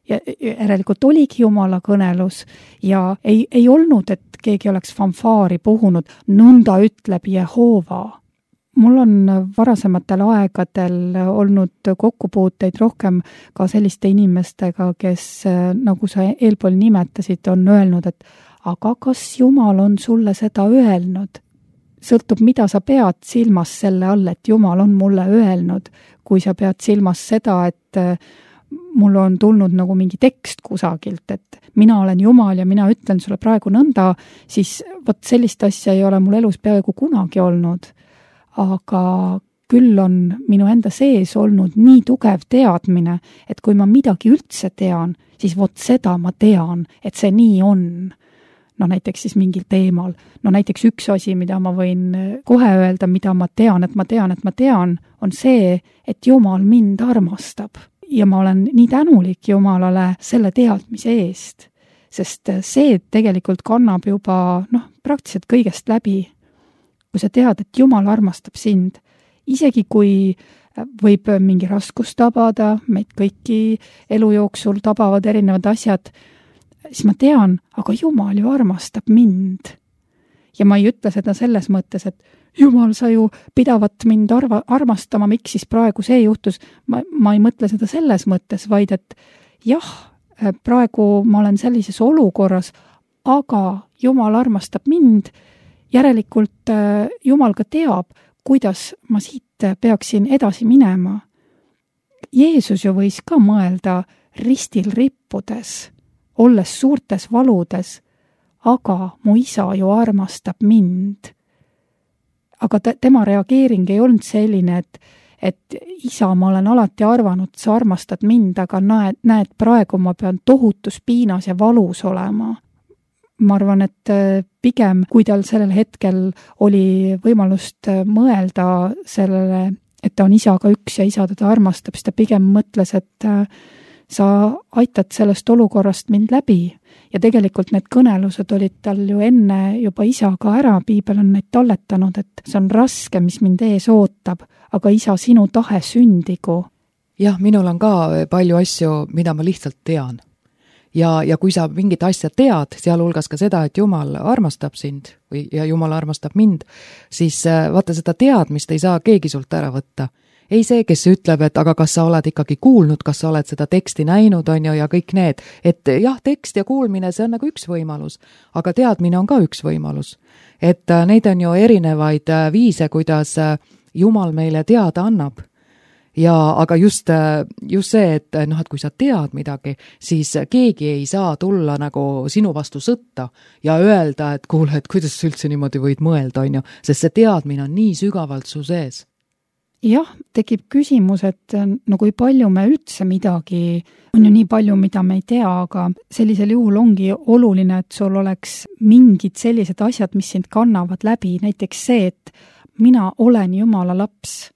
ja järelikult oligi Jumala kõnelus ja ei olnud, et keegi oleks fanfaari puhunud, nõnda ütleb Jehoova. Mul on varasematel aegadel olnud kokkupuuteid rohkem ka selliste inimestega, kes, nagu sa eelpool nimetasid, on öelnud, et aga kas Jumal on sulle seda öelnud? Sõltub, mida sa pead silmas selle all, et Jumal on mulle öelnud, kui sa pead silmas seda, et mul on tulnud nagu mingi tekst kusagilt, et mina olen Jumal ja mina ütlen sulle praegu nõnda, siis vot sellist asja ei ole mul elus peaaegu kunagi olnud. Aga küll on minu enda sees olnud nii tugev teadmine, et kui ma midagi üldse tean, siis vot seda ma tean, et see nii on. No näiteks siis mingil teemal. No näiteks üks asi, mida ma võin kohe öelda, mida ma tean, on see, et Jumal mind armastab. Ja ma olen nii tänulik Jumalale selle teadmise eest, sest see tegelikult kannab juba praktiliselt kõigest läbi. Kui sa tead, et Jumal armastab sind, isegi kui võib mingi raskus tabada, meid kõiki elu jooksul tabavad erinevad asjad, siis ma tean, aga Jumal ju armastab mind. Ja ma ei ütle seda selles mõttes, et Jumal, sa ju pidavat mind armastama, miks siis praegu see juhtus. Ma ei mõtle seda selles mõttes, vaid et jah, praegu ma olen sellises olukorras, aga Jumal armastab mind. Järelikult Jumal ka teab, kuidas ma siit peaksin edasi minema. Jeesus ju võis ka mõelda ristil rippudes, olles suurtes valudes, aga mu isa ju armastab mind. Aga tema reageering ei olnud selline, et isa, ma olen alati arvanud, sa armastad mind, aga näed, praegu ma pean tohutus piinas ja valus olema. Ma arvan, et pigem, kui tal sellel hetkel oli võimalust mõelda sellele, et ta on isaga üks ja isa teda armastab, siis ta pigem mõtles, et sa aitad sellest olukorrast mind läbi. Ja tegelikult need kõnelused olid tal ju enne juba isaga ära, piibel on neid talletanud, et see on raske, mis mind ees ootab, aga isa, sinu tahe sündigu. Jah, minul on ka palju asju, mida ma lihtsalt tean. Ja kui sa mingit asja tead, sealhulgas ka seda, et Jumal armastab sind ja Jumal armastab mind, siis vaata, seda teadmist ei saa keegi sult ära võtta. Ei see, kes ütleb, et aga kas sa oled ikkagi kuulnud, kas sa oled seda teksti näinud, on ju, ja kõik need. Et jah, tekst ja kuulmine, see on nagu üks võimalus, aga teadmine on ka üks võimalus. Et neid on ju erinevaid viise, kuidas Jumal meile teada annab. Ja aga just see, et kui sa tead midagi, siis keegi ei saa tulla nagu sinu vastu sõtta ja öelda, et kuule, et kuidas sa üldse niimoodi võid mõelda, on ju, sest see teadmine on nii sügavalt su sees. Jah, tekib küsimus, et no kui palju me üldse midagi, on ju nii palju, mida me ei tea, aga sellisel juhul ongi oluline, et sul oleks mingid sellised asjad, mis sind kannavad läbi, näiteks see, et mina olen Jumala laps.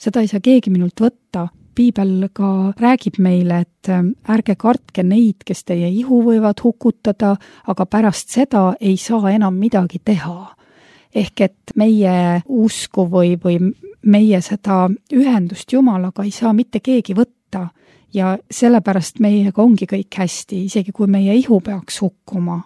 Seda ei saa keegi minult võtta. Piibel ka räägib meile, et ärge kartke neid, kes teie ihu võivad hukutada, aga pärast seda ei saa enam midagi teha. Ehk et meie usku või meie seda ühendust Jumalaga ei saa mitte keegi võtta ja sellepärast meiega ongi kõik hästi, isegi kui meie ihu peaks hukkuma.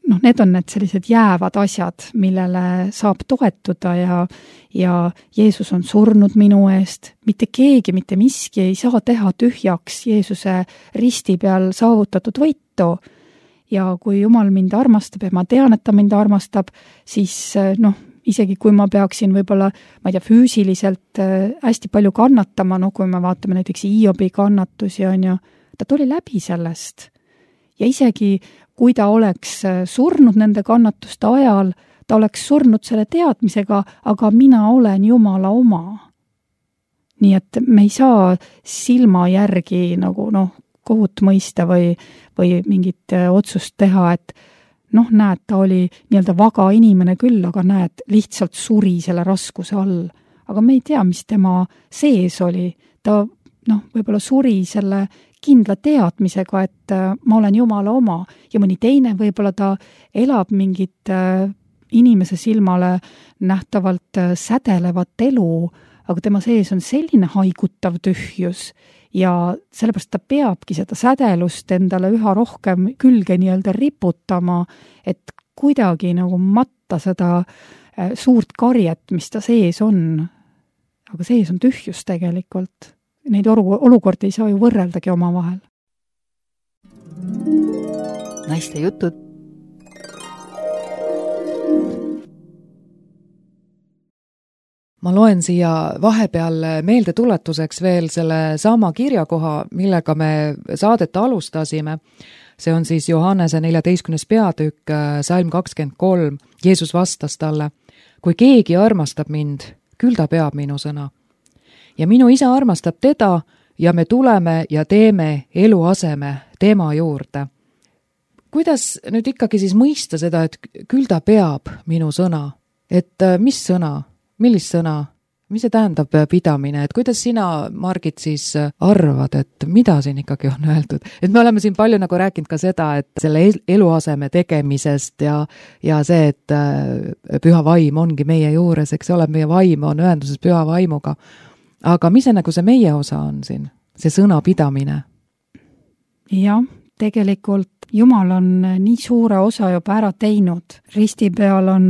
Need on need sellised jäävad asjad, millele saab toetuda ja Jeesus on surnud minu eest. Mitte keegi, mitte miski ei saa teha tühjaks Jeesuse risti peal saavutatud võitu. Ja kui Jumal mind armastab ja ma tean, et ta mind armastab, siis isegi kui ma peaksin võib-olla, ma ei tea, füüsiliselt hästi palju kannatama, kui me vaatame näiteks Hiobi kannatusi, on ju, ta tuli läbi sellest. Ja isegi kui ta oleks surnud nende kannatuste ajal, ta oleks surnud selle teadmisega, aga mina olen Jumala oma. Nii et me ei saa silma järgi nagu kohut mõista või mingit otsust teha, et näed, ta oli nii-öelda vaga inimene küll, aga näed, lihtsalt suri selle raskuse all. Aga me ei tea, mis tema sees oli. Ta võib-olla suri selle kindla teadmisega, et ma olen Jumala oma ja mõni teine võib-olla ta elab mingit inimese silmale nähtavalt sädelevat elu, aga tema sees on selline haigutav tühjus ja sellepärast ta peabki seda sädelust endale üha rohkem külge nii-öelda riputama, et kuidagi nagu matta seda suurt karjet, mis ta sees on. Aga sees on tühjus tegelikult. Neid olukordi ei saa ju võrreldagi omavahel. Naiste jutud. Ma loen siia vahepeal meeldetuletuseks veel selle sama kirjakoha, millega me saadet alustasime. See on siis Johannese 14. peatükk, salm 23. Jeesus vastas talle: kui keegi armastab mind, küll ta peab minu sõna. Ja minu isa armastab teda ja me tuleme ja teeme eluaseme tema juurde. Kuidas nüüd ikkagi siis mõista seda, et küll ta peab minu sõna? Et mis sõna? Millist sõna? Mis see tähendab pidamine? Et kuidas sina, Margit, siis arvad, et mida siin ikkagi on öeldud? Et me oleme siin palju nagu rääkinud ka seda, et selle eluaseme tegemisest ja see, et püha vaim ongi meie juures, eks ole, meie vaim on ühenduses püha vaimuga. Aga mis see nagu see meie osa on siin? See sõna pidamine? Jah, tegelikult Jumal on nii suure osa juba ära teinud. Risti peal on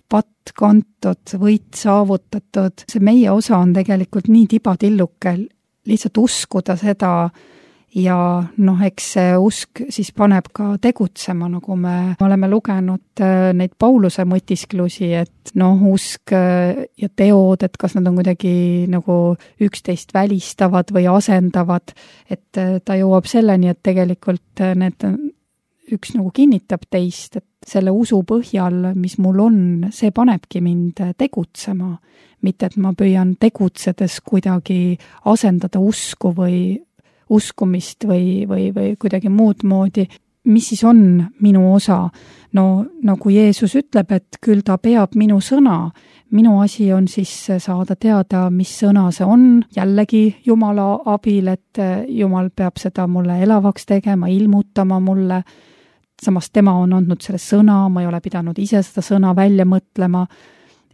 patt kantud, võit saavutatud. See meie osa on tegelikult nii tibatilluke lihtsalt uskuda seda ja eks see usk siis paneb ka tegutsema, nagu me oleme lugenud neid Pauluse mõtisklusi, et usk ja teod, et kas nad on kuidagi nagu üksteist välistavad või asendavad, et ta jõuab selleni, et tegelikult need üks nagu kinnitab teist, et selle usu põhjal, mis mul on, see panebki mind tegutsema. Mitte, et ma püüan tegutsedes kuidagi asendada usku või uskumist või kuidagi muud moodi. Mis siis on minu osa? No nagu Jeesus ütleb, et küll ta peab minu sõna. Minu asi on siis saada teada, mis sõna see on. Jällegi Jumala abil, et Jumal peab seda mulle elavaks tegema, ilmutama mulle. Samas tema on andnud selle sõna, ma ei ole pidanud ise seda sõna välja mõtlema.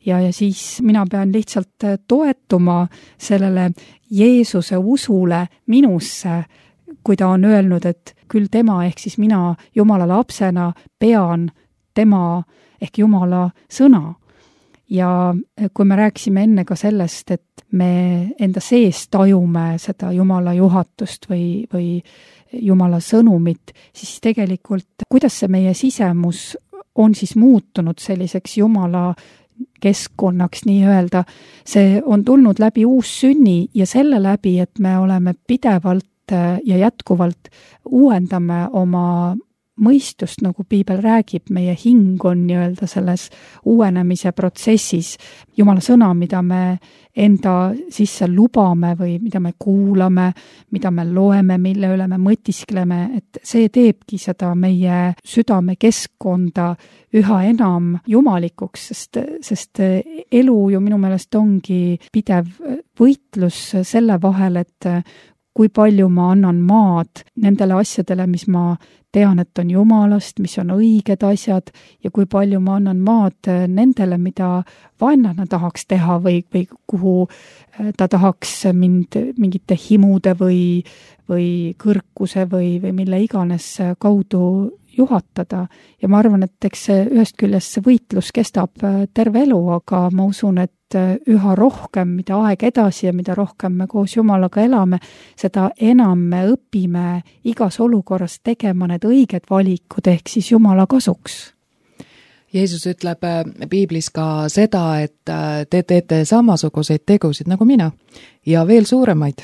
Ja siis mina pean lihtsalt toetuma sellele Jeesuse usule minusse, kui ta on öelnud, et küll tema ehk siis mina Jumala lapsena pean tema ehk Jumala sõna. Ja kui me rääkisime enne ka sellest, et me enda sees tajume seda Jumala juhatust või Jumala sõnumit, siis tegelikult kuidas see meie sisemus on siis muutunud selliseks Jumala keskkonnaks nii-öelda, see on tulnud läbi uussünni ja selle läbi, et me oleme pidevalt ja jätkuvalt uuendame oma mõistust, nagu piibel räägib, meie hing on nii-öelda selles uuenemise protsessis. Jumala sõna, mida me enda sisse lubame või mida me kuulame, mida me loeme, mille üle me mõtiskleme, et see teebki seda meie südame keskkonda üha enam jumalikuks, sest elu ju minu meelest ongi pidev võitlus selle vahel, et kui palju ma annan maad nendele asjadele, mis ma tean, et on Jumalast, mis on õiged asjad ja kui palju ma annan maad nendele, mida vaenlane tahaks teha või kuhu ta tahaks mind mingite himude või kõrkuse või mille iganes kaudu juhatada. Ja ma arvan, et eks ühest küljest see võitlus kestab terve elu, aga ma usun, et üha rohkem, mida aeg edasi ja mida rohkem me koos Jumalaga elame, seda enam me õpime igas olukorras tegema need õiged valikud ehk siis Jumala kasuks. Jeesus ütleb piiblis ka seda, et te teete samasuguseid tegusid nagu mina ja veel suuremaid.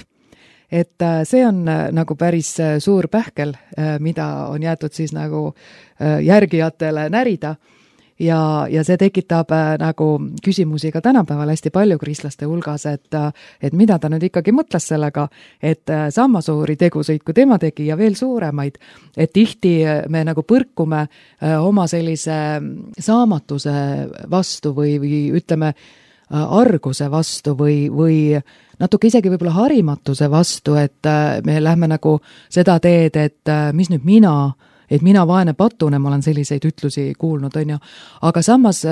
Et see on nagu päris suur pähkel, mida on jäetud siis nagu järgijatele närida ja see tekitab nagu küsimusi ka tänapäeval hästi palju kristlaste hulgas, et mida ta nüüd ikkagi mõtles sellega, et sama suuri tegusid, kui tema tegi ja veel suuremaid, et tihti me nagu põrkume oma sellise saamatuse vastu või ütleme arguse vastu või natuke isegi võib-olla harimatuse vastu, et me lähme nagu seda teed, et mis nüüd mina et mina vaene patune, ma olen selliseid ütlusi kuulnud, on ju. Aga samas,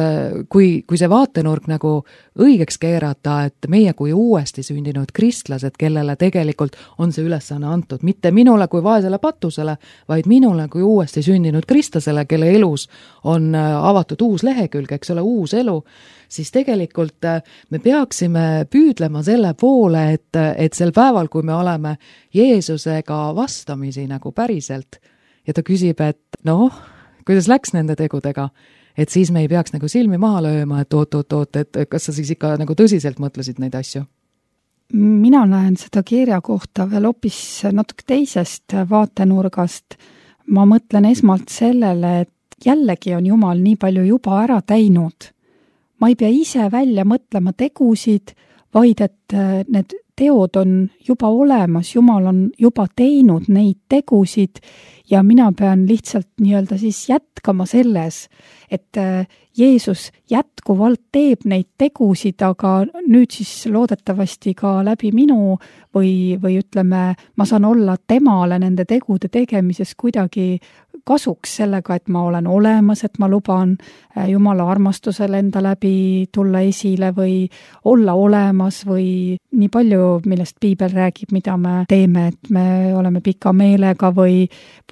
kui see vaatenurk nagu õigeks keerata, et meie kui uuesti sündinud kristlased, kellele tegelikult on see ülesanne antud, mitte minule kui vaesele patusele, vaid minule kui uuesti sündinud kristlasele, kelle elus on avatud uus lehekülg, eks ole, uus elu, siis tegelikult me peaksime püüdlema selle poole, et sel päeval, kui me oleme Jeesusega vastamisi nagu päriselt ja ta küsib, et noh, kuidas läks nende tegudega, et siis me ei peaks nagu silmi maha lööma, et oot, et kas sa siis ikka nagu tõsiselt mõtlesid neid asju? Mina näen seda kirja kohta veel hoopis natuke teisest vaatenurgast. Ma mõtlen esmalt sellele, et jällegi on Jumal nii palju juba ära teinud. Ma ei pea ise välja mõtlema tegusid, vaid et need teod on juba olemas, Jumal on juba teinud neid tegusid ja mina pean lihtsalt nii-öelda siis jätkama selles, et Jeesus jätkuvalt teeb neid tegusid, aga nüüd siis loodetavasti ka läbi minu või ütleme, ma saan olla temale nende tegude tegemises kuidagi kasuks sellega, et ma olen olemas, et ma luban Jumala armastusel enda läbi tulla esile või olla olemas või nii palju, millest piibel räägib, mida me teeme, et me oleme pika meelega või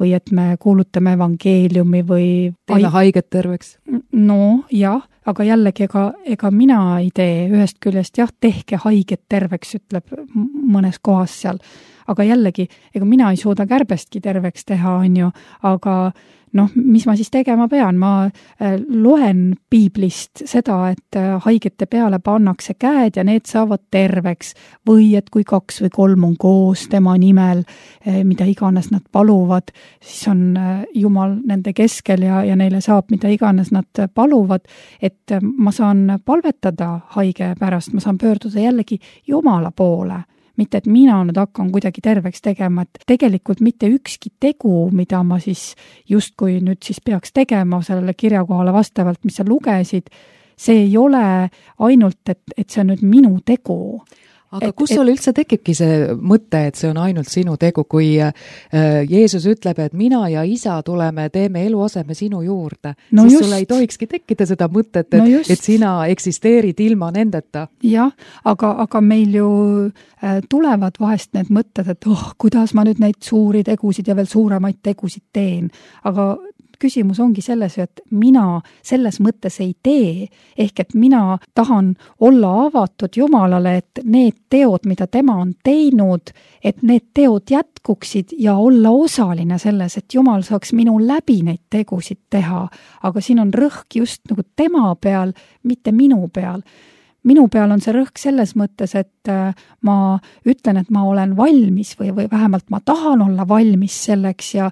et me kuulutame evangeeliumi või teeme haiget terveks. No jah, aga jällegi ega mina ei tee ühest küljest, jah, tehke haiget terveks, ütleb mõnes kohas seal. Aga jällegi, ega mina ei suuda kärbestki terveks teha, on ju, aga noh, mis ma siis tegema pean? Ma loen piiblist seda, et haigete peale pannakse käed ja need saavad terveks või et kui 2 või 3 on koos tema nimel, mida iganes nad paluvad, siis on Jumal nende keskel ja neile saab, mida iganes nad paluvad, et ma saan palvetada haige pärast, ma saan pöörduda jällegi Jumala poole. Mitte, et mina nüüd hakkan kuidagi terveks tegema, et tegelikult mitte ükski tegu, mida ma siis justkui nüüd siis peaks tegema sellele kirjakohale vastavalt, mis sa lugesid, see ei ole ainult, et see on nüüd minu tegu. Aga kus sul üldse tekibki see mõte, et see on ainult sinu tegu, kui Jeesus ütleb, et mina ja isa tuleme, teeme eluaseme sinu juurde, no siis sul ei tohikski tekkida seda mõtet, et sina eksisteerid ilma nendeta. Jah, aga meil ju tulevad vahest need mõtted, et kuidas ma nüüd neid suuri tegusid ja veel suuremaid tegusid teen, aga küsimus ongi selles, et mina selles mõttes ei tee, ehk et mina tahan olla avatud Jumalale, et need teod, mida tema on teinud, et need teod jätkuksid ja olla osaline selles, et Jumal saaks minu läbi neid tegusid teha, aga siin on rõhk just nagu tema peal, mitte minu peal. Minu peal on see rõhk selles mõttes, et ma ütlen, et ma olen valmis või vähemalt ma tahan olla valmis selleks ja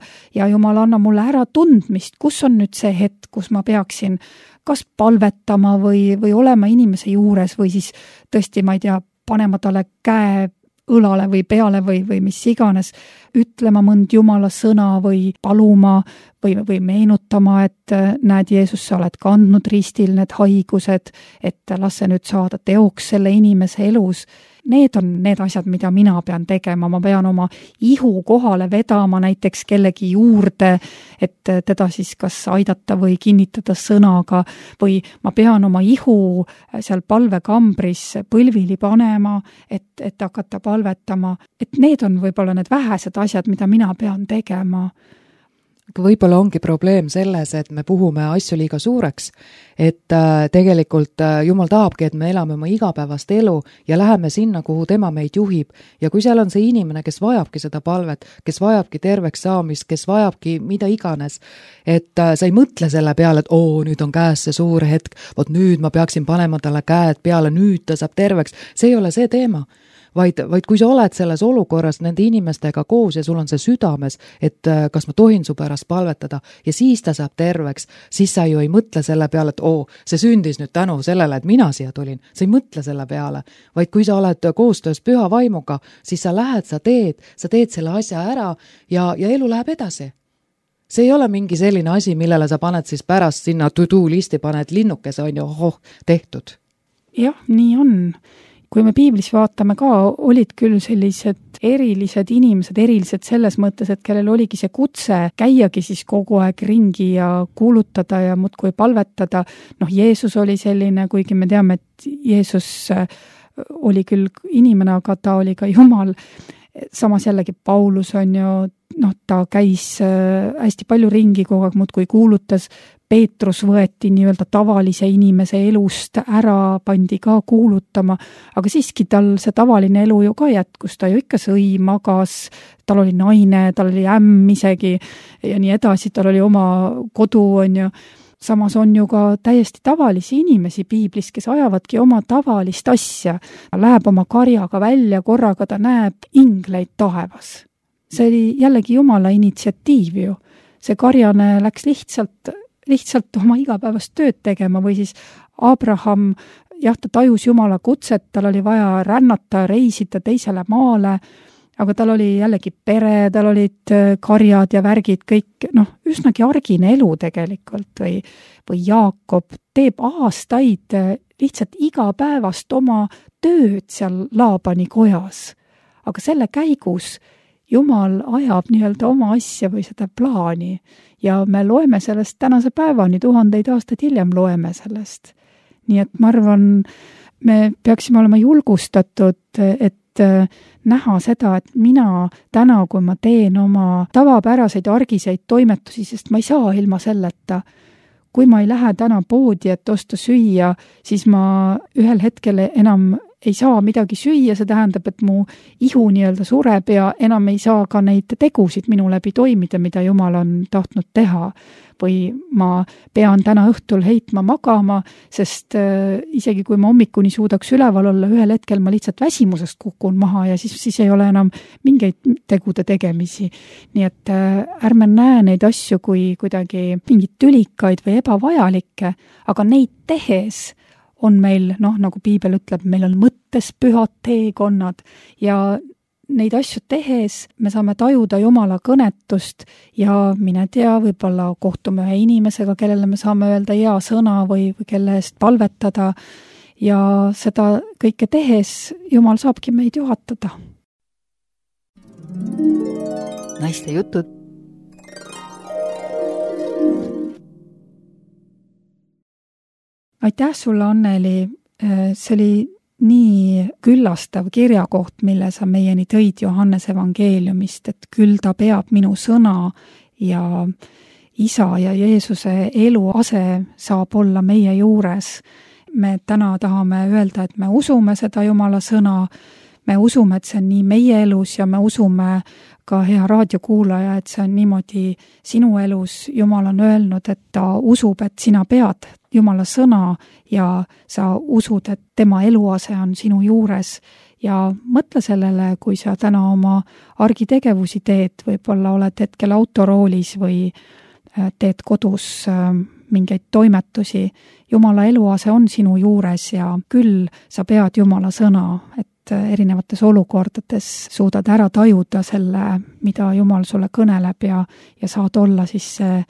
Jumal anna mulle ära tundmist, kus on nüüd see hetk, kus ma peaksin kas palvetama või olema inimese juures või siis tõesti, ma ei tea, panema talle käe õlale või peale või mis iganes, ütlema mõnd Jumala sõna või paluma või meenutama, et näed, Jeesus, sa oled kandnud ristil need haigused, et las see nüüd saada teoks selle inimese elus. Need on need asjad, mida mina pean tegema, ma pean oma ihu kohale vedama näiteks kellegi juurde, et teda siis kas aidata või kinnitada sõnaga või ma pean oma ihu seal palvekambris põlvili panema, et hakata palvetama. Et need on võib-olla need vähesed asjad, mida mina pean tegema. Võib-olla ongi probleem selles, et me puhume asju liiga suureks, et tegelikult Jumal tahabki, et me elame oma igapäevast elu ja läheme sinna, kuhu tema meid juhib. Ja kui seal on see inimene, kes vajabki seda palvet, kes vajabki terveks saamist, kes vajabki mida iganes, et sa ei mõtle selle peale, et nüüd on käes see suur hetk, vot nüüd ma peaksin panema talle käed peale, nüüd ta saab terveks, see ei ole see teema. Vaid kui sa oled selles olukorras nende inimestega koos ja sul on see südames, et kas ma tohin su pärast palvetada ja siis ta saab terveks, siis sa ju ei mõtle selle peale, et see sündis nüüd tänu sellele, et mina siia tulin. Sa ei mõtle selle peale, vaid kui sa oled koostöös püha vaimuga, siis sa lähed, sa teed selle asja ära ja elu läheb edasi. See ei ole mingi selline asi, millele sa paned siis pärast sinna to-do listi, paned linnukese, on ju, tehtud. Jah, nii on. kui me piiblis vaatame ka, olid küll sellised erilised inimesed, erilised selles mõttes, et kellel oligi see kutse käiagi siis kogu aeg ringi ja kuulutada ja muudkui palvetada. Jeesus oli selline, kuigi me teame, et Jeesus oli küll inimene, aga ta oli ka Jumal. Samas jällegi Paulus on ju, ta käis hästi palju ringi kogu aeg muudkui kuulutas. Peetrus võeti nii-öelda tavalise inimese elust ära, pandi ka kuulutama, aga siiski tal see tavaline elu ju ka jätkus, ta ju ikka sõi, magas, tal oli naine, tal oli ämm isegi ja nii edasi, tal oli oma kodu, on ju. Samas on ju ka täiesti tavalisi inimesi piiblis, kes ajavadki oma tavalist asja. Läheb oma karjaga välja, korraga ta näeb ingleid taevas. See oli jällegi Jumala initsiatiiv ju. See karjane läks lihtsalt oma igapäevast tööd tegema või siis Abraham, ta tajus Jumala kutset, tal oli vaja rännata, reisida teisele maale, aga tal oli jällegi pere, tal olid karjad ja värgid, kõik, üsnagi argine elu tegelikult või Jaakob teeb aastaid lihtsalt igapäevast oma tööd seal Laabani kojas. Aga selle käigus Jumal ajab nii-öelda oma asja või seda plaani ja me loeme sellest tänase päevani, 1000 aastaid hiljem loeme sellest. Nii et ma arvan, me peaksime olema julgustatud, et näha seda, et mina täna, kui ma teen oma tavapäraseid argiseid toimetusi, sest ma ei saa ilma selleta. Kui ma ei lähe täna poodi, et osta süüa, siis ma ühel hetkel enam ei saa midagi süüa, see tähendab, et mu ihu nii-öelda sureb ja enam ei saa ka neid tegusid minu läbi toimida, mida Jumal on tahtnud teha. Või ma pean täna õhtul heitma magama, sest isegi kui ma hommikuni suudaks üleval olla, ühel hetkel ma lihtsalt väsimusest kukun maha ja siis ei ole enam mingeid tegude tegemisi. Nii et ärme näe neid asju kui kuidagi mingid tülikaid või ebavajalikke, aga neid tehes on meil, nagu piibel ütleb, meil on mõttes pühad teekonnad ja neid asju tehes me saame tajuda Jumala kõnetust ja mine tea, võib-olla kohtume ühe inimesega, kellele me saame öelda hea sõna või kelle eest palvetada ja seda kõike tehes Jumal saabki meid juhatada. Naiste jutud. Aitäh sulle, Anneli. See oli nii küllastav kirjakoht, mille sa meieni tõid Johannese evangeeliumist, et küll ta peab minu sõna ja isa ja Jeesuse eluase saab olla meie juures. Me täna tahame öelda, et me usume seda Jumala sõna, me usume, et see on nii meie elus ja me usume ka hea raadiokuulaja, et see on niimoodi sinu elus. Jumal on öelnud, et ta usub, et sina pead Jumala sõna ja sa usud, et tema eluase on sinu juures ja mõtle sellele, kui sa täna oma argitegevusi teed, võib-olla oled hetkel autoroolis või teed kodus mingeid toimetusi. Jumala eluase on sinu juures ja küll sa pead Jumala sõna, et erinevates olukordades suudad ära tajuda selle, mida Jumal sulle kõneleb ja saad olla siis see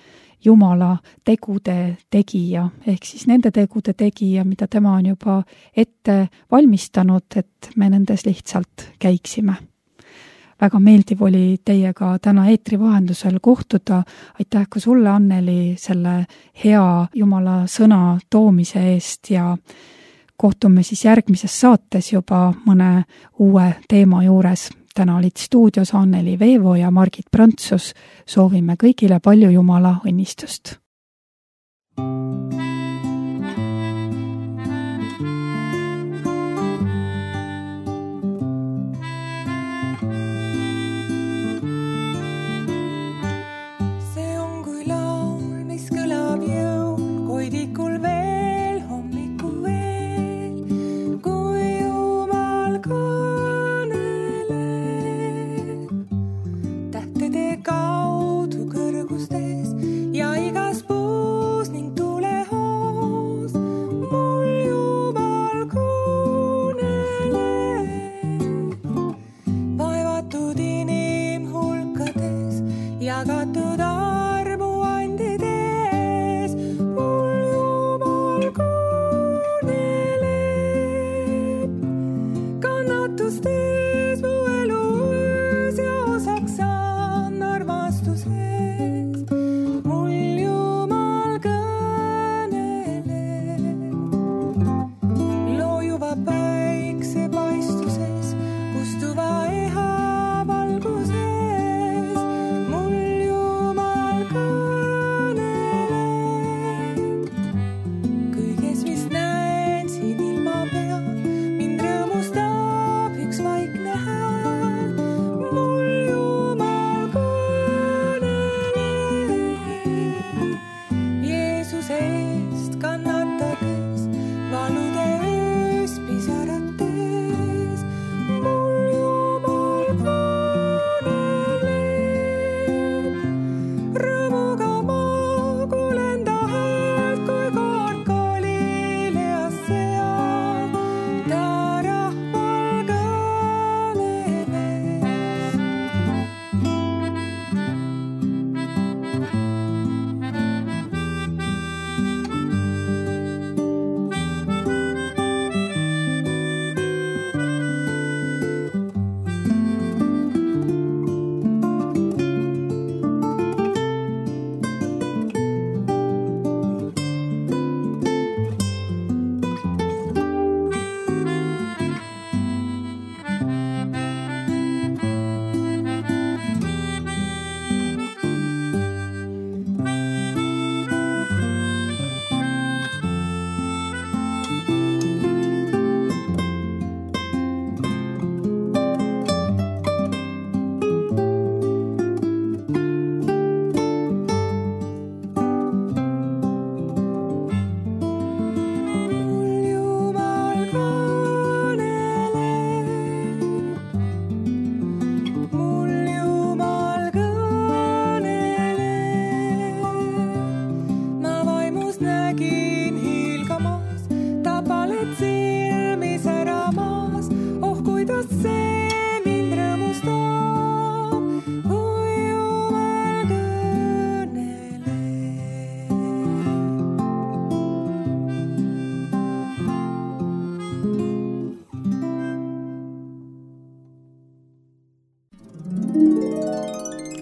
Jumala tegude tegija, ehk siis nende tegude tegija, mida tema on juba ette valmistanud, et me nendes lihtsalt käiksime. Väga meeldiv oli teiega täna eetri vahendusel kohtuda. Aitäh ka sulle, Anneli, selle hea Jumala sõna toomise eest ja kohtume siis järgmises saates juba mõne uue teema juures. Täna olid stuudios Anneli Veevo ja Margit Prantsus. Soovime kõigile palju Jumala õnnistust. See on kui laul, mis kõlab jõul, koidikul veel, hommikul veel, kui Jumal kaudu kõrgustes ja igas puus ning tulehoos mul Jumal kõneleb. Vaevatud inimhulkades, jagatud armuandides mul Jumal kõneleb.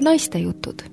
naistejutud.